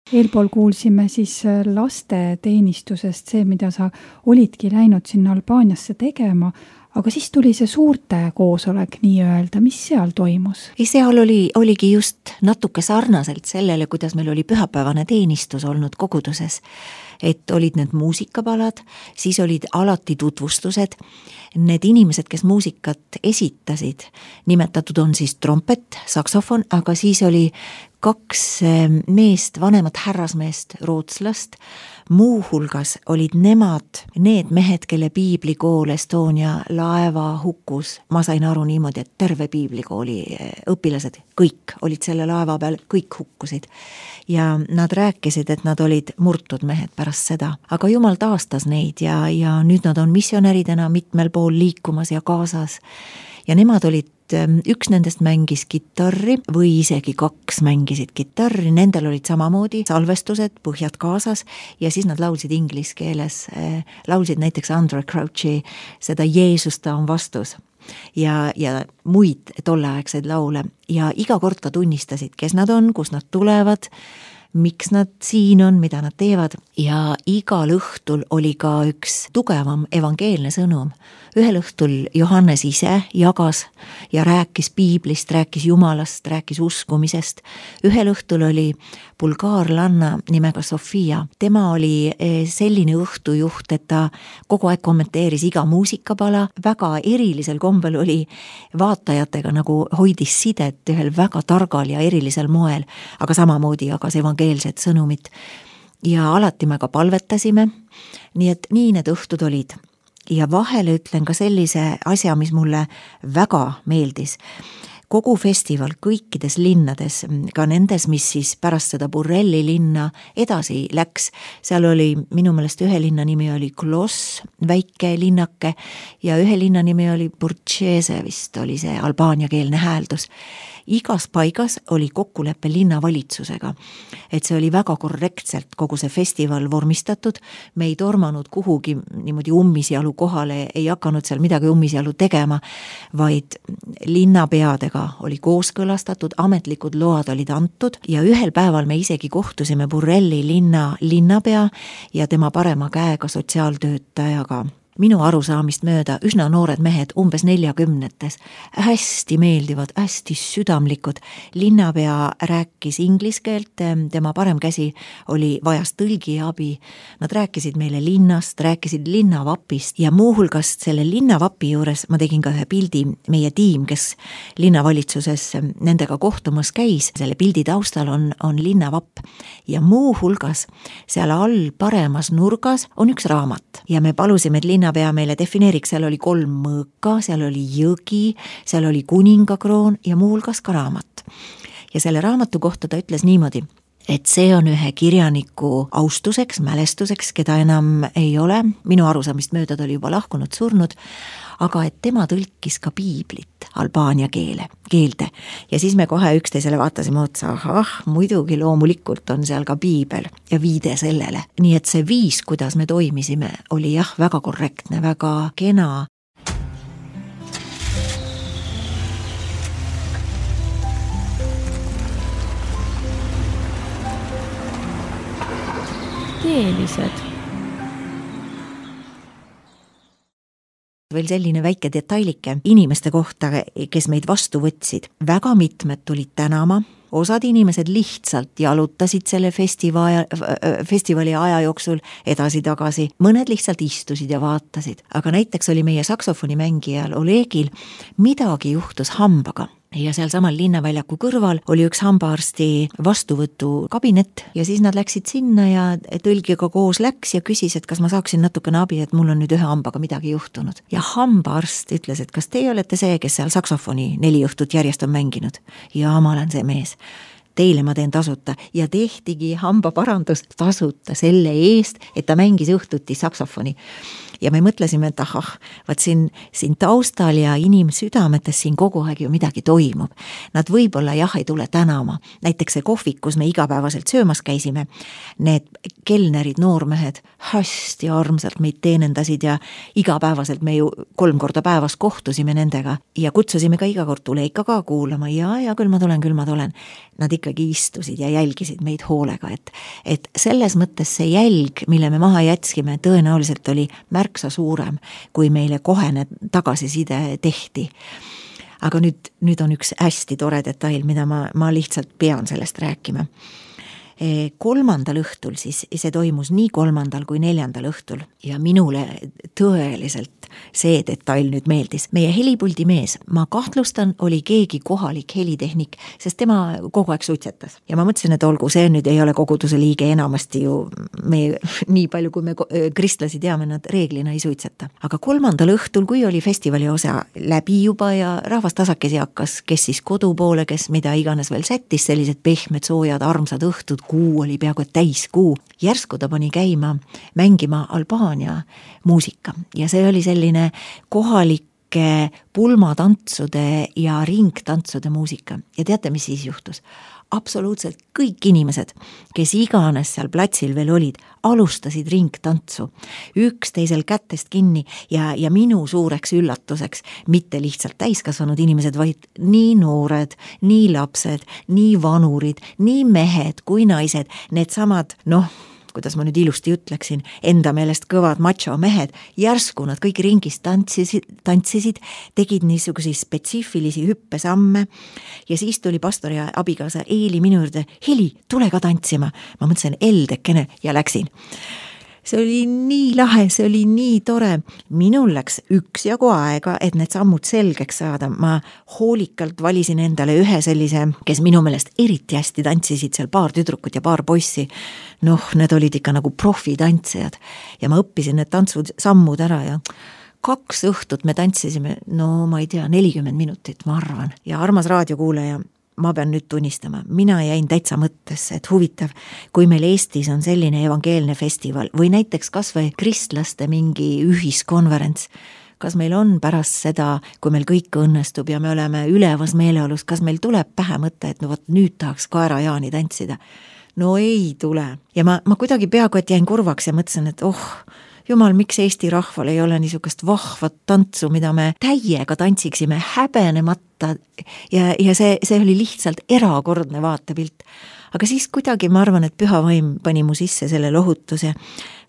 Eelpool kuulsime siis lasteteenistusest see, mida sa olidki läinud sinna Albaaniasse tegema, aga siis tuli see suurte koosolek nii-öelda, mis seal toimus? Seal oligi just natuke sarnaselt sellele, kuidas meil oli pühapäevane teenistus olnud koguduses, et olid need muusikapalad, siis olid alati tutvustused, need inimesed, kes muusikat esitasid, nimetatud on siis trompet, saksofon, aga siis oli 2 meest, vanemat härrasmeest, rootslast, muuhulgas olid nemad, need mehed, kelle piiblikool Estonia laeva hukkus. Ma sain aru niimoodi, et terve piiblikooli õpilased, kõik olid selle laeva peal, kõik hukkusid. Ja nad rääkisid, et nad olid murtud mehed pärast seda. Aga Jumal taastas neid ja nüüd nad on missionäridena mitmel pool liikumas ja kaasas. Ja nemad olid, üks nendest mängis kitarri või isegi 2 mängisid kitarri, nendel olid samamoodi salvestused, põhjad kaasas ja siis nad laulsid inglise keeles, laulsid näiteks Andrew Crouchi seda Jeesus ta on vastus ja muid tolleaegseid laule ja iga kord ka tunnistasid, kes nad on, kus nad tulevad, miks nad siin on, mida nad teevad ja igal õhtul oli ka üks tugevam evangeelne sõnum. Ühel õhtul Johannes ise jagas ja rääkis piiblist, rääkis Jumalast, rääkis uskumisest. Ühel õhtul oli bulgaarlanna nimega Sofia. Tema oli selline õhtujuht, et ta kogu aeg kommenteeris iga muusikapala. Väga erilisel kombel oli vaatajatega nagu hoidis sidet ühel väga targal ja erilisel moel, aga samamoodi jagas evangeelset sõnumit. Ja alati me ka palvetasime, nii et nii need õhtud olid. Ja vahele ütlen ka sellise asja, mis mulle väga meeldis. Kogu festival kõikides linnades, ka nendes, mis siis pärast seda Burrelli linna edasi läks, seal oli minu meelest ühe linna nimi oli Klos, väike linnake ja ühe linna nimi oli Burčese, vist oli see albaaniakeelne hääldus. Igas paigas oli kokkuleppe linnavalitsusega, et see oli väga korrektselt kogu see festival vormistatud, me ei tormanud kuhugi niimoodi ummisjalu kohale, ei hakanud seal midagi ummisjalu tegema, vaid linnapeadega oli kooskõlastatud, ametlikud load olid antud ja ühel päeval me isegi kohtusime Burrelli linnapea ja tema parema käega sotsiaaltöötajaga. Minu arusaamist mööda üsna noored mehed, umbes 40-tes, hästi meeldivad, hästi südamlikud. Linnapea rääkis inglise keelt, tema parem käsi oli vajas tõlgi abi. Nad rääkisid meile linnast, rääkisid linnavapist ja muuhulgas selle linnavapi juures ma tegin ka ühe pildi, meie tiim, kes linnavalitsuses nendega kohtumas käis. Selle pildi taustal on linnavapp ja muuhulgas seal all paremas nurgas on üks raamat ja me palusime, et linnapea meile defineeriks, seal oli 3 mõõka, seal oli jõgi, seal oli kuningakroon ja muuhulgas ka raamat. Ja selle raamatu kohta ta ütles niimoodi, et see on ühe kirjaniku austuseks, mälestuseks, keda enam ei ole, minu arusaamist mööda ta oli juba lahkunud, surnud, aga et tema tõlkis ka piiblit albaania keelde. Ja siis me kohe üksteisele vaatasime otsa, muidugi loomulikult on seal ka piibel ja viide sellele. Nii et see viis, kuidas me toimisime, oli väga korrektne, väga kena. Keelised. Veel selline väike detailike inimeste kohta, kes meid vastu võtsid. Väga mitmed tulid tänama, osad inimesed lihtsalt jalutasid selle festivali aja jooksul edasi-tagasi, mõned lihtsalt istusid ja vaatasid. Aga näiteks oli meie saksofonimängijal Olegil midagi juhtus hambaga. Ja seal samal linnaväljaku kõrval oli üks hambaarsti vastuvõtu kabinet ja siis nad läksid sinna ja tõlgiga koos läks ja küsis, et kas ma saaksin natukene abi, et mul on nüüd ühe hambaga midagi juhtunud. Ja hambaarst ütles, et kas teie olete see, kes seal saksofoni 4 õhtut järjest on mänginud? Ja ma olen see mees. Teile ma teen tasuta ja tehtigi hambaparandus tasuta selle eest, et ta mängis õhtuti saksofoni. ja me mõtlesime, et ahah, vaat siin taustal ja inimsüdametes siin kogu aeg ju midagi toimub. Nad võib-olla jah, ei tule tänama. Näiteks see kohvik, kus me igapäevaselt söömas käisime, need kelnerid, noormehed hästi armsalt meid teenendasid ja igapäevaselt me ju 3 korda päevas kohtusime nendega ja kutsusime ka iga kord, tule ikka ka kuulama ja küll ma tulen. Nad ikkagi istusid ja jälgisid meid hoolega, et selles mõttes see jälg, mille me maha jätskime, tõenäoliselt oli märksa suurem, kui meile kohene tagasiside tehti. Aga nüüd on üks hästi tore detail, mida ma lihtsalt pean sellest rääkima. 3. õhtul siis, see toimus nii 3. kui 4. õhtul ja minule tõeliselt see detail nüüd meeldis. Meie helipuldi mees, ma kahtlustan, oli keegi kohalik helitehnik, sest tema kogu aeg suitsetas. Ja ma mõtlesin, et olgu, see nüüd ei ole koguduse liige, enamasti ju nii palju, kui me kristlasi teame, nad reeglina ei suitseta. Aga 3. õhtul, kui oli festivali osa läbi juba ja rahvas tasakesi hakkas, kes siis kodu poole, kes mida iganes veel sättis, sellised pehmed, soojad, armsad õhtud, kuu oli peaaegu täiskuu. Järsku ta pani käima mängima Albaania muusika ja see oli selline kohalike pulmatantsude ja ringtantsude muusika. Ja teate, mis siis juhtus? Absoluutselt kõik inimesed, kes iganes seal platsil veel olid, alustasid ringtantsu, üksteisel kätest kinni ja minu suureks üllatuseks mitte lihtsalt täiskasvanud inimesed, vaid nii noored, nii lapsed, nii vanurid, nii mehed kui naised, need samad, kuidas ma nüüd ilusti ütleksin, enda meelest kõvad macho mehed, järsku nad kõik ringis tantsisid, tegid niisugusi spetsiifilisi hüppesamme ja siis tuli pastor ja abikaasa Eeli minu juurde, Heli, tule ka tantsima. Ma mõtlesin, eldekene ja läksin. See oli nii lahe, see oli nii tore. Minul läks üksjagu aega, et need sammud selgeks saada. Ma hoolikalt valisin endale ühe sellise, kes minu meelest eriti hästi tantsisid, seal paar tüdrukut ja paar poissi. Need olid ikka nagu profitantsijad ja ma õppisin need tantsud sammud ära ja 2 õhtut me tantsisime, ma ei tea, 40 minutit, ma arvan. Ja armas raadiokuulaja, ma pean nüüd tunnistama, mina jäin täitsa mõttesse, et huvitav, kui meil Eestis on selline evangeelne festival või näiteks kas või kristlaste mingi ühiskonverents, kas meil on pärast seda, kui meil kõik õnnestub ja me oleme ülevas meeleolus, kas meil tuleb pähe mõte, et nüüd tahaks Kaera-Jaani tantsida? No ei tule. Ja ma kuidagi peaaegu, et jäin kurvaks ja mõtlesin, et jumal, miks Eesti rahval ei ole niisugust vahvat tantsu, mida me täiega tantsiksime häbenemata ja see oli lihtsalt erakordne vaatepilt. Aga siis kuidagi ma arvan, et püha vaim pani mu sisse selle lohutuse,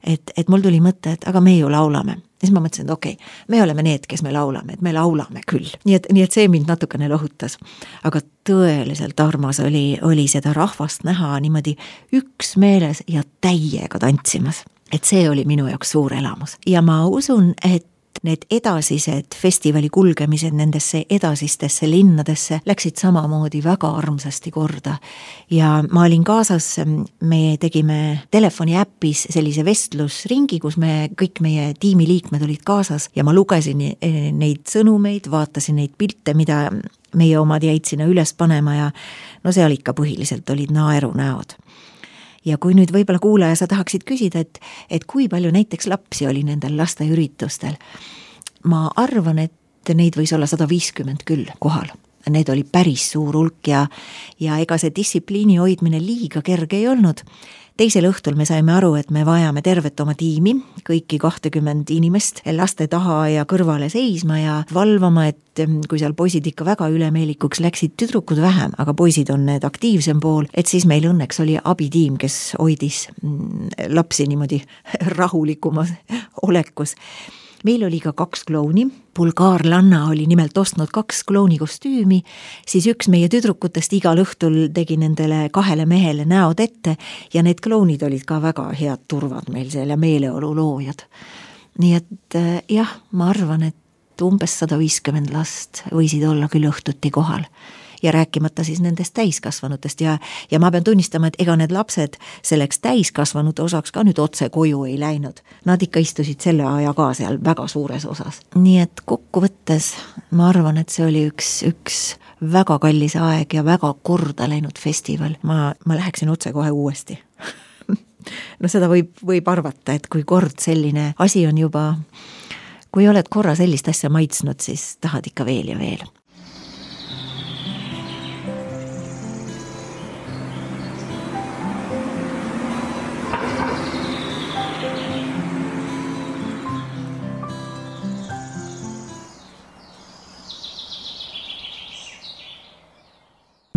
et mul tuli mõte, et aga me ju laulame. Ja siis ma mõtlesin, et okei, me oleme need, kes me laulame, et me laulame küll. Nii et see mind natukene lohutas. Aga tõeliselt armas oli seda rahvast näha niimoodi üksmeeles ja täiega tantsimas. Et see oli minu jaoks suur elamus. Ja ma usun, et need edasised festivali kulgemised nendesse edasistesse linnadesse läksid samamoodi väga armsasti korda. Ja ma olin kaasas, me tegime telefoni äppis sellise vestlusringi, kus kõik meie tiimiliikmed olid kaasas ja ma lugesin neid sõnumeid, vaatasin neid pilte, mida meie omad jäid sinna üles panema ja seal ikka põhiliselt olid naerunäod. Ja kui nüüd võib-olla kuulaja sa tahaksid küsida, et kui palju näiteks lapsi oli nendel lasteüritustel, ma arvan, et neid võis olla 150 küll kohal. Need oli päris suur hulk ja ega see distsipliini hoidmine liiga kerge ei olnud. Teisel õhtul me saime aru, et me vajame tervet oma tiimi, kõiki 20 inimest laste taha ja kõrvale seisma ja valvama, et kui seal poisid ikka väga ülemeelikuks läksid, tüdrukud vähem, aga poisid on need aktiivsem pool, et siis meil õnneks oli abitiim, kes hoidis lapsi niimoodi rahulikumas olekus. Meil oli ka 2 klouni, bulgaarlanna oli nimelt ostnud 2 klouni kostüümi, siis üks meie tüdrukutest igal õhtul tegi nendele 2 mehele näod ette ja need klounid olid ka väga head turvad meil seal ja meeleolu loojad. Nii et jah, ma arvan, et umbes 150 last võisid olla küll õhtuti kohal. Ja rääkimata siis nendest täiskasvanutest ja ma pean tunnistama, et ega need lapsed selleks täiskasvanute osaks ka nüüd otse koju ei läinud. Nad ikka istusid selle aja ka seal väga suures osas. Nii et kokkuvõttes ma arvan, et see oli üks väga kallis aeg ja väga korda läinud festival. Ma läheksin otse kohe uuesti. no seda võib arvata, et kui kord selline asi on juba, kui oled korra sellist asja maitsnud, siis tahad ikka veel ja veel.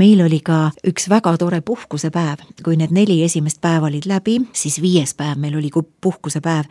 Meil oli ka üks väga tore puhkusepäev, kui need 4 esimest päeva olid läbi, siis 5. päev meil oli puhkusepäev.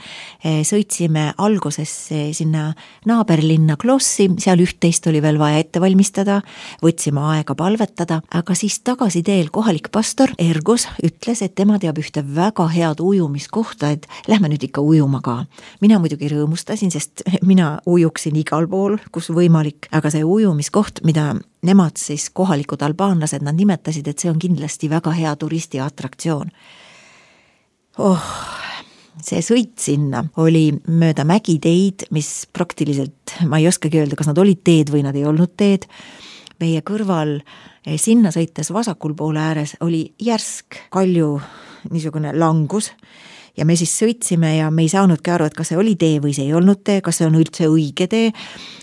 Sõitsime alguses sinna naaberlinna Klossi, seal 11 oli veel vaja ette valmistada, võtsime aega palvetada, aga siis tagasi teel kohalik pastor Ergus ütles, et tema teab ühte väga head ujumiskohta, et lähme nüüd ikka ujuma ka. Mina muidugi rõõmustasin, sest mina ujuksin igal pool, kus võimalik, aga see ujumiskoht, mida nemad siis kohalikud albaanlased, nad nimetasid, et see on kindlasti väga hea turisti atraktsioon. See sõit sinna oli mööda mägiteid, mis praktiliselt, ma ei oskagi öelda, kas nad olid teed või nad ei olnud teed. Meie kõrval sinna sõites vasakul poole ääres oli järsk kalju niisugune langus ja me siis sõitsime ja me ei saanudki aru, et kas see oli tee või see ei olnud tee, kas see on üldse õige tee.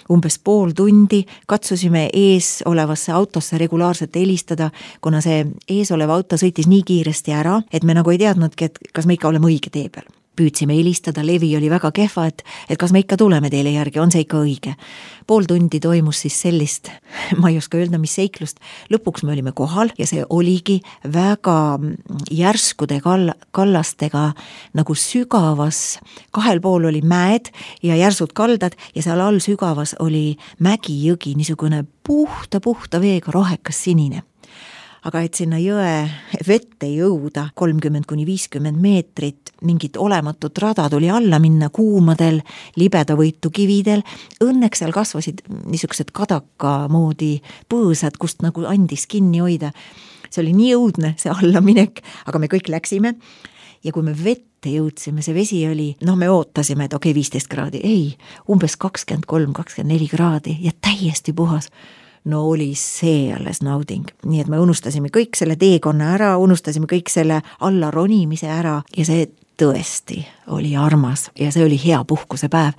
Umbes pool tundi katsusime ees olevasse autosse regulaarselt helistada, kuna see ees olev auto sõitis nii kiiresti ära, et me nagu ei teadnudki, et kas me ikka oleme õige tee peal. Püüdsime helistada, levi oli väga kehva, et kas me ikka tuleme teile järgi, on see ikka õige. Pool tundi toimus siis sellist, ma ei oska öelda, mis seiklust. Lõpuks me olime kohal ja see oligi väga järskude kallastega nagu sügavas. 2 pool oli mäed ja järsud kaldad ja seal all sügavas oli mägijõgi, niisugune puhta veega rohekas sinine. Aga et sinna jõe vette jõuda 30–50 meetrit, mingit olematut rada tuli alla minna kuumadel, libedavõitu kividel. Õnneks seal kasvasid niisugused kadaka moodi põõsad, kust nagu andis kinni hoida. See oli nii õudne, see allaminek, aga me kõik läksime. Ja kui me vette jõudsime, see vesi oli, me ootasime, et 15 kraadi, ei, umbes 23–24 kraadi ja täiesti puhas. No oli see alles nauding. Nii et me unustasime kõik selle teekonna ära, unustasime kõik selle alla ronimise ära ja see tõesti oli armas ja see oli hea puhkusepäev.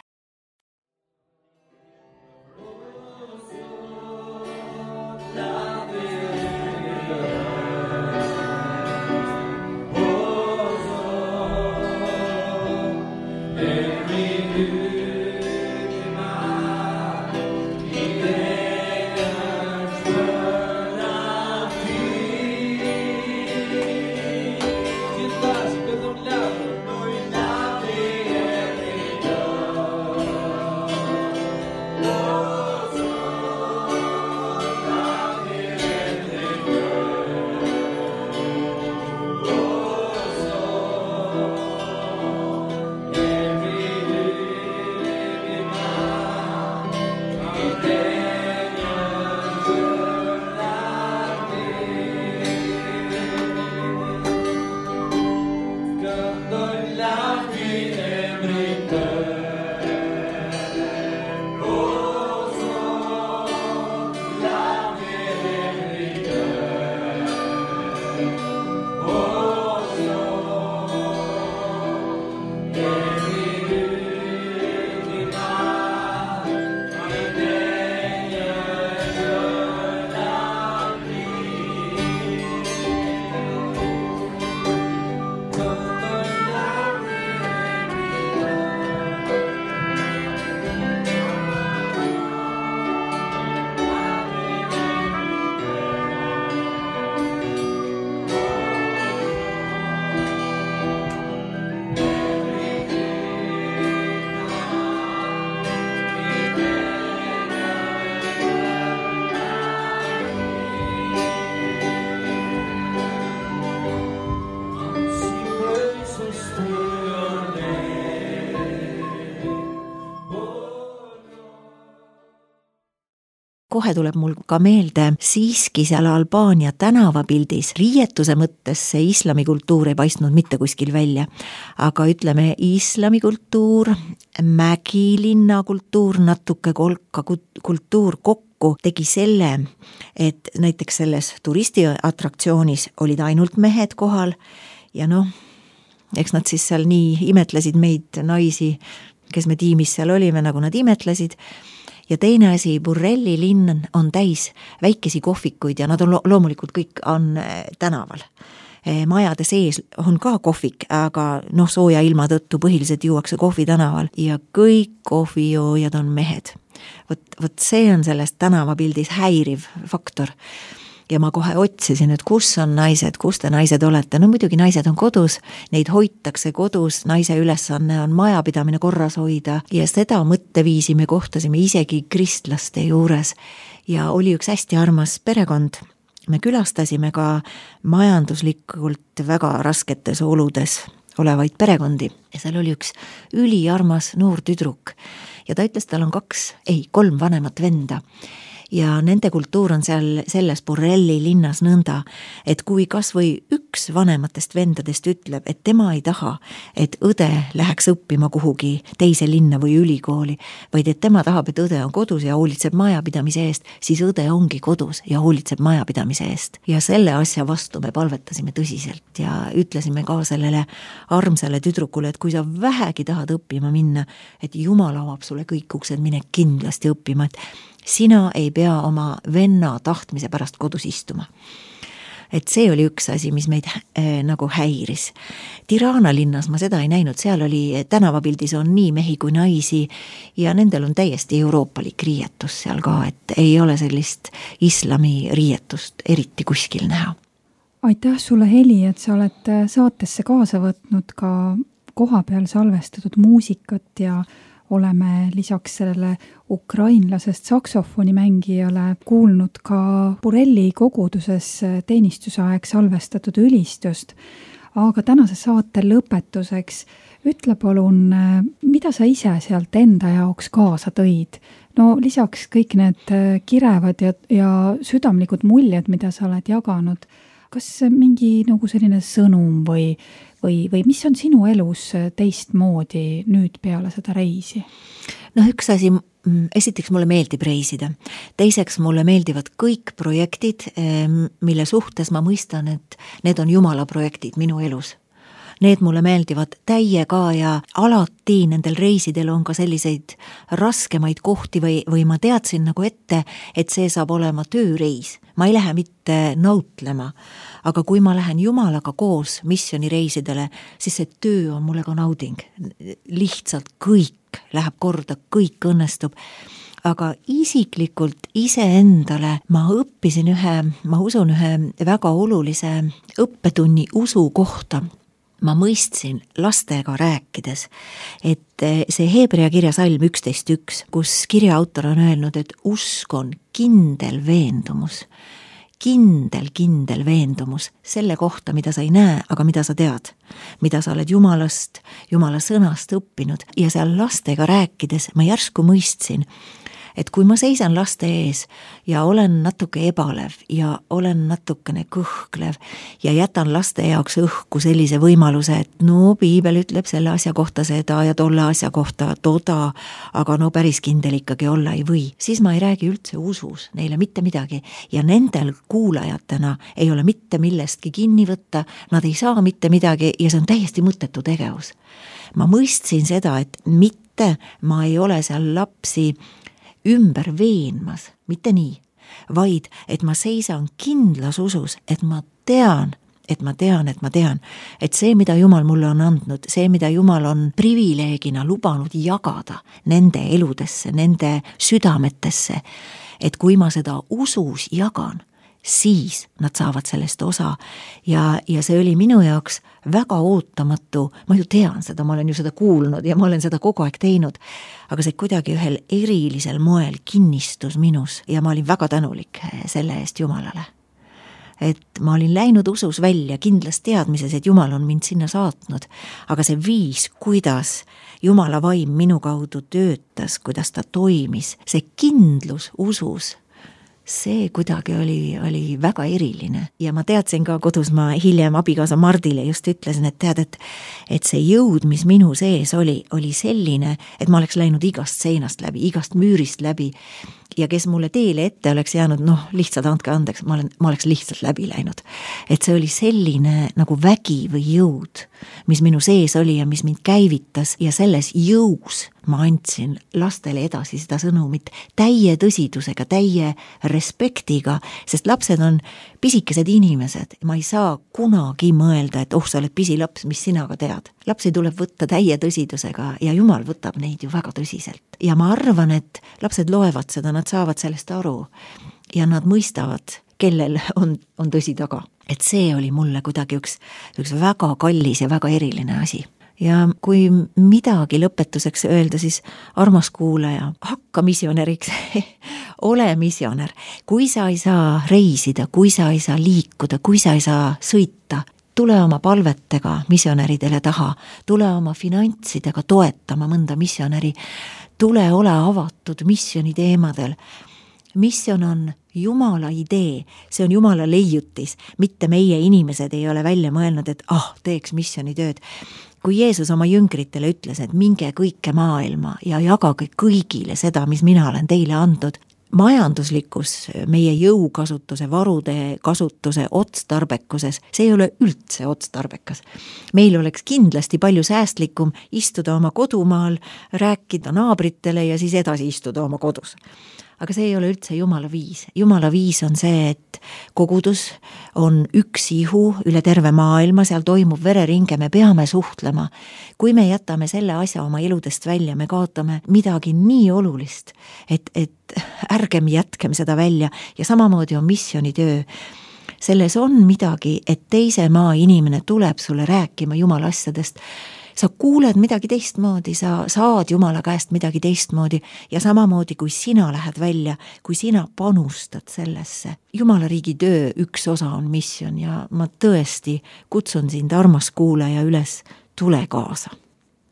Kohe tuleb mul ka meelde siiski seal Albaania tänavapildis riietuse mõttes see islamikultuur ei paistnud mitte kuskil välja. Aga ütleme islamikultuur, mägilinna kultuur, natuke kolka kultuur kokku tegi selle, et näiteks selles turistiatraktsioonis olid ainult mehed kohal ja eks nad siis seal nii imetlesid meid naisi, kes me tiimis seal olime, nagu nad imetlesid. Ja teine asi, Burrelli linn on täis väikesi kohvikuid ja nad on loomulikult kõik on tänaval. Majade sees on ka kohvik, aga sooja ilma tõttu põhiliselt juuakse kohvi tänaval ja kõik kohvijoojad on mehed. Vot see on sellest tänavapildis häiriv faktor. Ja ma kohe otsisin, et kus on naised, kus te naised olete. No muidugi naised on kodus, neid hoitakse kodus, naise ülesanne on majapidamine korras hoida ja seda mõtteviisi me kohtasime isegi kristlaste juures. Ja oli üks hästi armas perekond. Me külastasime ka majanduslikult väga rasketes oludes olevaid perekondi ja seal oli üks üliarmas noor tüdruk ja ta ütles, tal on 3 vanemat venda. Ja nende kultuur on seal selles Burrelli linnas nõnda, et kui kas või üks vanematest vendadest ütleb, et tema ei taha, et õde läheks õppima kuhugi teise linna või ülikooli, vaid et tema tahab, et õde on kodus ja hoolitseb majapidamise eest, siis õde ongi kodus ja hoolitseb majapidamise eest. Ja selle asja vastu me palvetasime tõsiselt ja ütlesime ka sellele armsale tüdrukule, et kui sa vähegi tahad õppima minna, et Jumal avab sulle kõik uksed, mine kindlasti õppima, et sina ei pea oma venna tahtmise pärast kodus istuma. Et see oli üks asi, mis meid nagu häiris. Tirana linnas ma seda ei näinud, seal oli tänavapildis on nii mehi kui naisi ja nendel on täiesti euroopalik riietus seal ka, et ei ole sellist islami riietust eriti kuskil näha. Aitäh sulle, Heli, et sa oled saatesse kaasa võtnud ka koha peal salvestatud muusikat ja oleme lisaks sellele ukrainlasest saksofoni mängijale kuulnud ka Burrelli koguduses teenistusaeg salvestatud ülistust. Aga tänase saate lõpetuseks ütle palun, mida sa ise sealt enda jaoks kaasa tõid? No lisaks kõik need kirevad ja südamlikud muljed, mida sa oled jaganud, kas mingi nagu selline sõnum või mis on sinu elus teistmoodi nüüd peale seda reisi? Üks asi, esiteks mulle meeldib reisida. Teiseks mulle meeldivad kõik projektid, mille suhtes ma mõistan, et need on Jumala projektid minu elus. Need mulle meeldivad täiega ja alati nendel reisidel on ka selliseid raskemaid kohti või ma teadsin nagu ette, et see saab olema tööreis. Ma ei lähe mitte nautlema, aga kui ma lähen Jumalaga koos missioonireisidele, siis see töö on mulle ka nauding. Lihtsalt kõik läheb korda, kõik õnnestub. Aga isiklikult iseendale ma õppisin ma usun ühe väga olulise õppetunni usu kohta. Ma mõistsin lastega rääkides, et see Hebrea kirja salm 11.1, kus kirja autor on öelnud, et usk on kindel veendumus selle kohta, mida sa ei näe, aga mida sa tead, mida sa oled Jumalast, Jumala sõnast õppinud ja seal lastega rääkides ma järsku mõistsin, et kui ma seisan laste ees ja olen natuke ebalev ja olen natukene kõhklev ja jätan laste jaoks õhku sellise võimaluse, et piibel ütleb selle asja kohta seda ja tolle asja kohta toda, aga päris kindel ikkagi olla ei või, siis ma ei räägi üldse usus neile mitte midagi ja nendel kuulajatena ei ole mitte millestki kinni võtta, nad ei saa mitte midagi ja see on täiesti mõttetu tegevus. Ma mõistsin seda, et mitte ma ei ole seal lapsi ümber veenmas, mitte nii, vaid et ma seisan kindlas usus, et ma tean, et see, mida Jumal mulle on andnud, see, mida Jumal on privileegina lubanud jagada nende eludesse, nende südametesse, et kui ma seda usus jagan, siis nad saavad sellest osa ja see oli minu jaoks väga ootamatu, ma ju tean seda, ma olen ju seda kuulnud ja ma olen seda kogu aeg teinud, aga see kuidagi ühel erilisel moel kinnistus minus ja ma olin väga tänulik selle eest Jumalale. Et ma olin läinud usus välja kindlas teadmises, et Jumal on mind sinna saatnud, aga see viis, kuidas Jumala vaim minu kaudu töötas, kuidas ta toimis, see kindlus usus, see kuidagi oli väga eriline ja ma teadsin ka kodus, ma hiljem abikaasa Mardile just ütlesin, et tead, et see jõud, mis minu sees oli selline, et ma oleks läinud igast seinast läbi, igast müürist läbi ja kes mulle teele ette oleks jäänud, lihtsalt andke andeks, ma oleks lihtsalt läbi läinud. Et see oli selline nagu vägi või jõud, mis minu sees oli ja mis mind käivitas ja selles jõus ma andsin lastele edasi seda sõnumit täie tõsidusega, täie respektiga, sest lapsed on pisikesed inimesed. Ma ei saa kunagi mõelda, et sa oled pisilaps, mis sina ka tead. Lapsi tuleb võtta täie tõsidusega ja Jumal võtab neid ju väga tõsiselt. Ja ma arvan, et lapsed loevad seda, nad saavad sellest aru ja nad mõistavad, kellel on tõsi taga. Et see oli mulle kuidagi üks väga kallis ja väga eriline asi. Ja kui midagi lõpetuseks öelda, siis armas kuulaja, hakka missionäriks, ole missionär. Kui sa ei saa reisida, kui sa ei saa liikuda, kui sa ei saa sõita, tule oma palvetega missionäridele taha, tule oma finantsidega toetama mõnda missionäri, tule ole avatud missioni teemadel. Misjon on Jumala idee, see on Jumala leiutis, mitte meie inimesed ei ole välja mõelnud, et teeks missioni tööd. Kui Jeesus oma jüngritele ütles, et minge kõike maailma ja jagage kõigile seda, mis mina olen teile andnud, majanduslikus, meie jõukasutuse, varude kasutuse otstarbekuses, see ei ole üldse otstarbekas. Meil oleks kindlasti palju säästlikum istuda oma kodumaal, rääkida naabritele ja siis edasi istuda oma kodus. Aga see ei ole üldse Jumala viis. Jumala viis on see, et kogudus on üks ihu üle terve maailma, seal toimub vereringe, me peame suhtlema. Kui me jätame selle asja oma eludest välja, me kaotame midagi nii olulist, et ärgem jätkem seda välja ja samamoodi on missionitöö. Selles on midagi, et teise maa inimene tuleb sulle rääkima Jumala asjadest. Sa kuuled midagi teistmoodi, sa saad Jumala käest midagi teistmoodi ja samamoodi, kui sina lähed välja, kui sina panustad sellesse. Jumala riigi töö üks osa on mission ja ma tõesti kutsun sind, armas kuulaja, üles, tule kaasa.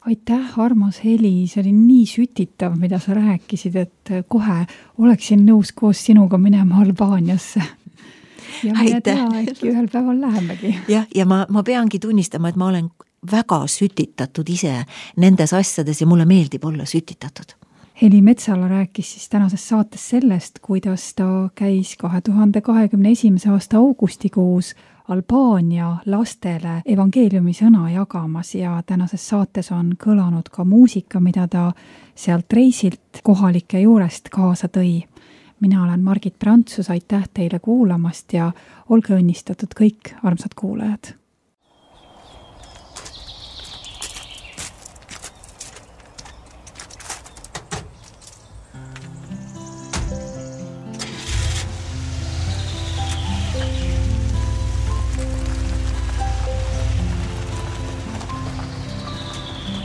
Aitäh, armas Heli, see oli nii sütitav, mida sa rääkisid, et kohe oleksin nõus koos sinuga minema Albaaniasse. Ja mine tea, äkki ühel päeval lähemegi. Ja ma peangi tunnistama, et ma olen väga sütitatud ise nendes asjades ja mulle meeldib olla sütitatud. Heli Metsala rääkis siis tänases saates sellest, kuidas ta käis 2021. aasta augustikuus Albaania lastele evangeeliumi sõna jagamas ja tänases saates on kõlanud ka muusika, mida ta sealt reisilt kohalike juurest kaasa tõi. Mina olen Margit Prantsus, aitäh teile kuulamast ja olge õnnistatud kõik, armsad kuulajad.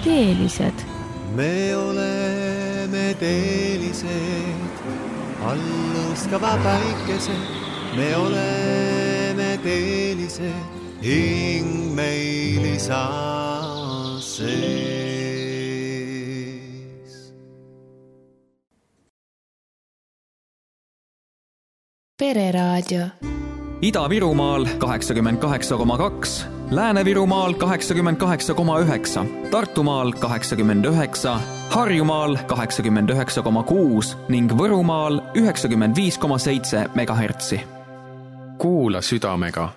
Teelised. Me oleme teelised, alluskava päikesed. Me oleme teelised, hing meil isa sees. Pereraadio. Ida-Virumaal 88,2, Lääne-Virumaal 88,9, Tartumaal 89, Harjumaal 89,6 ning Võrumaal 95,7 MHz. Kuula südamega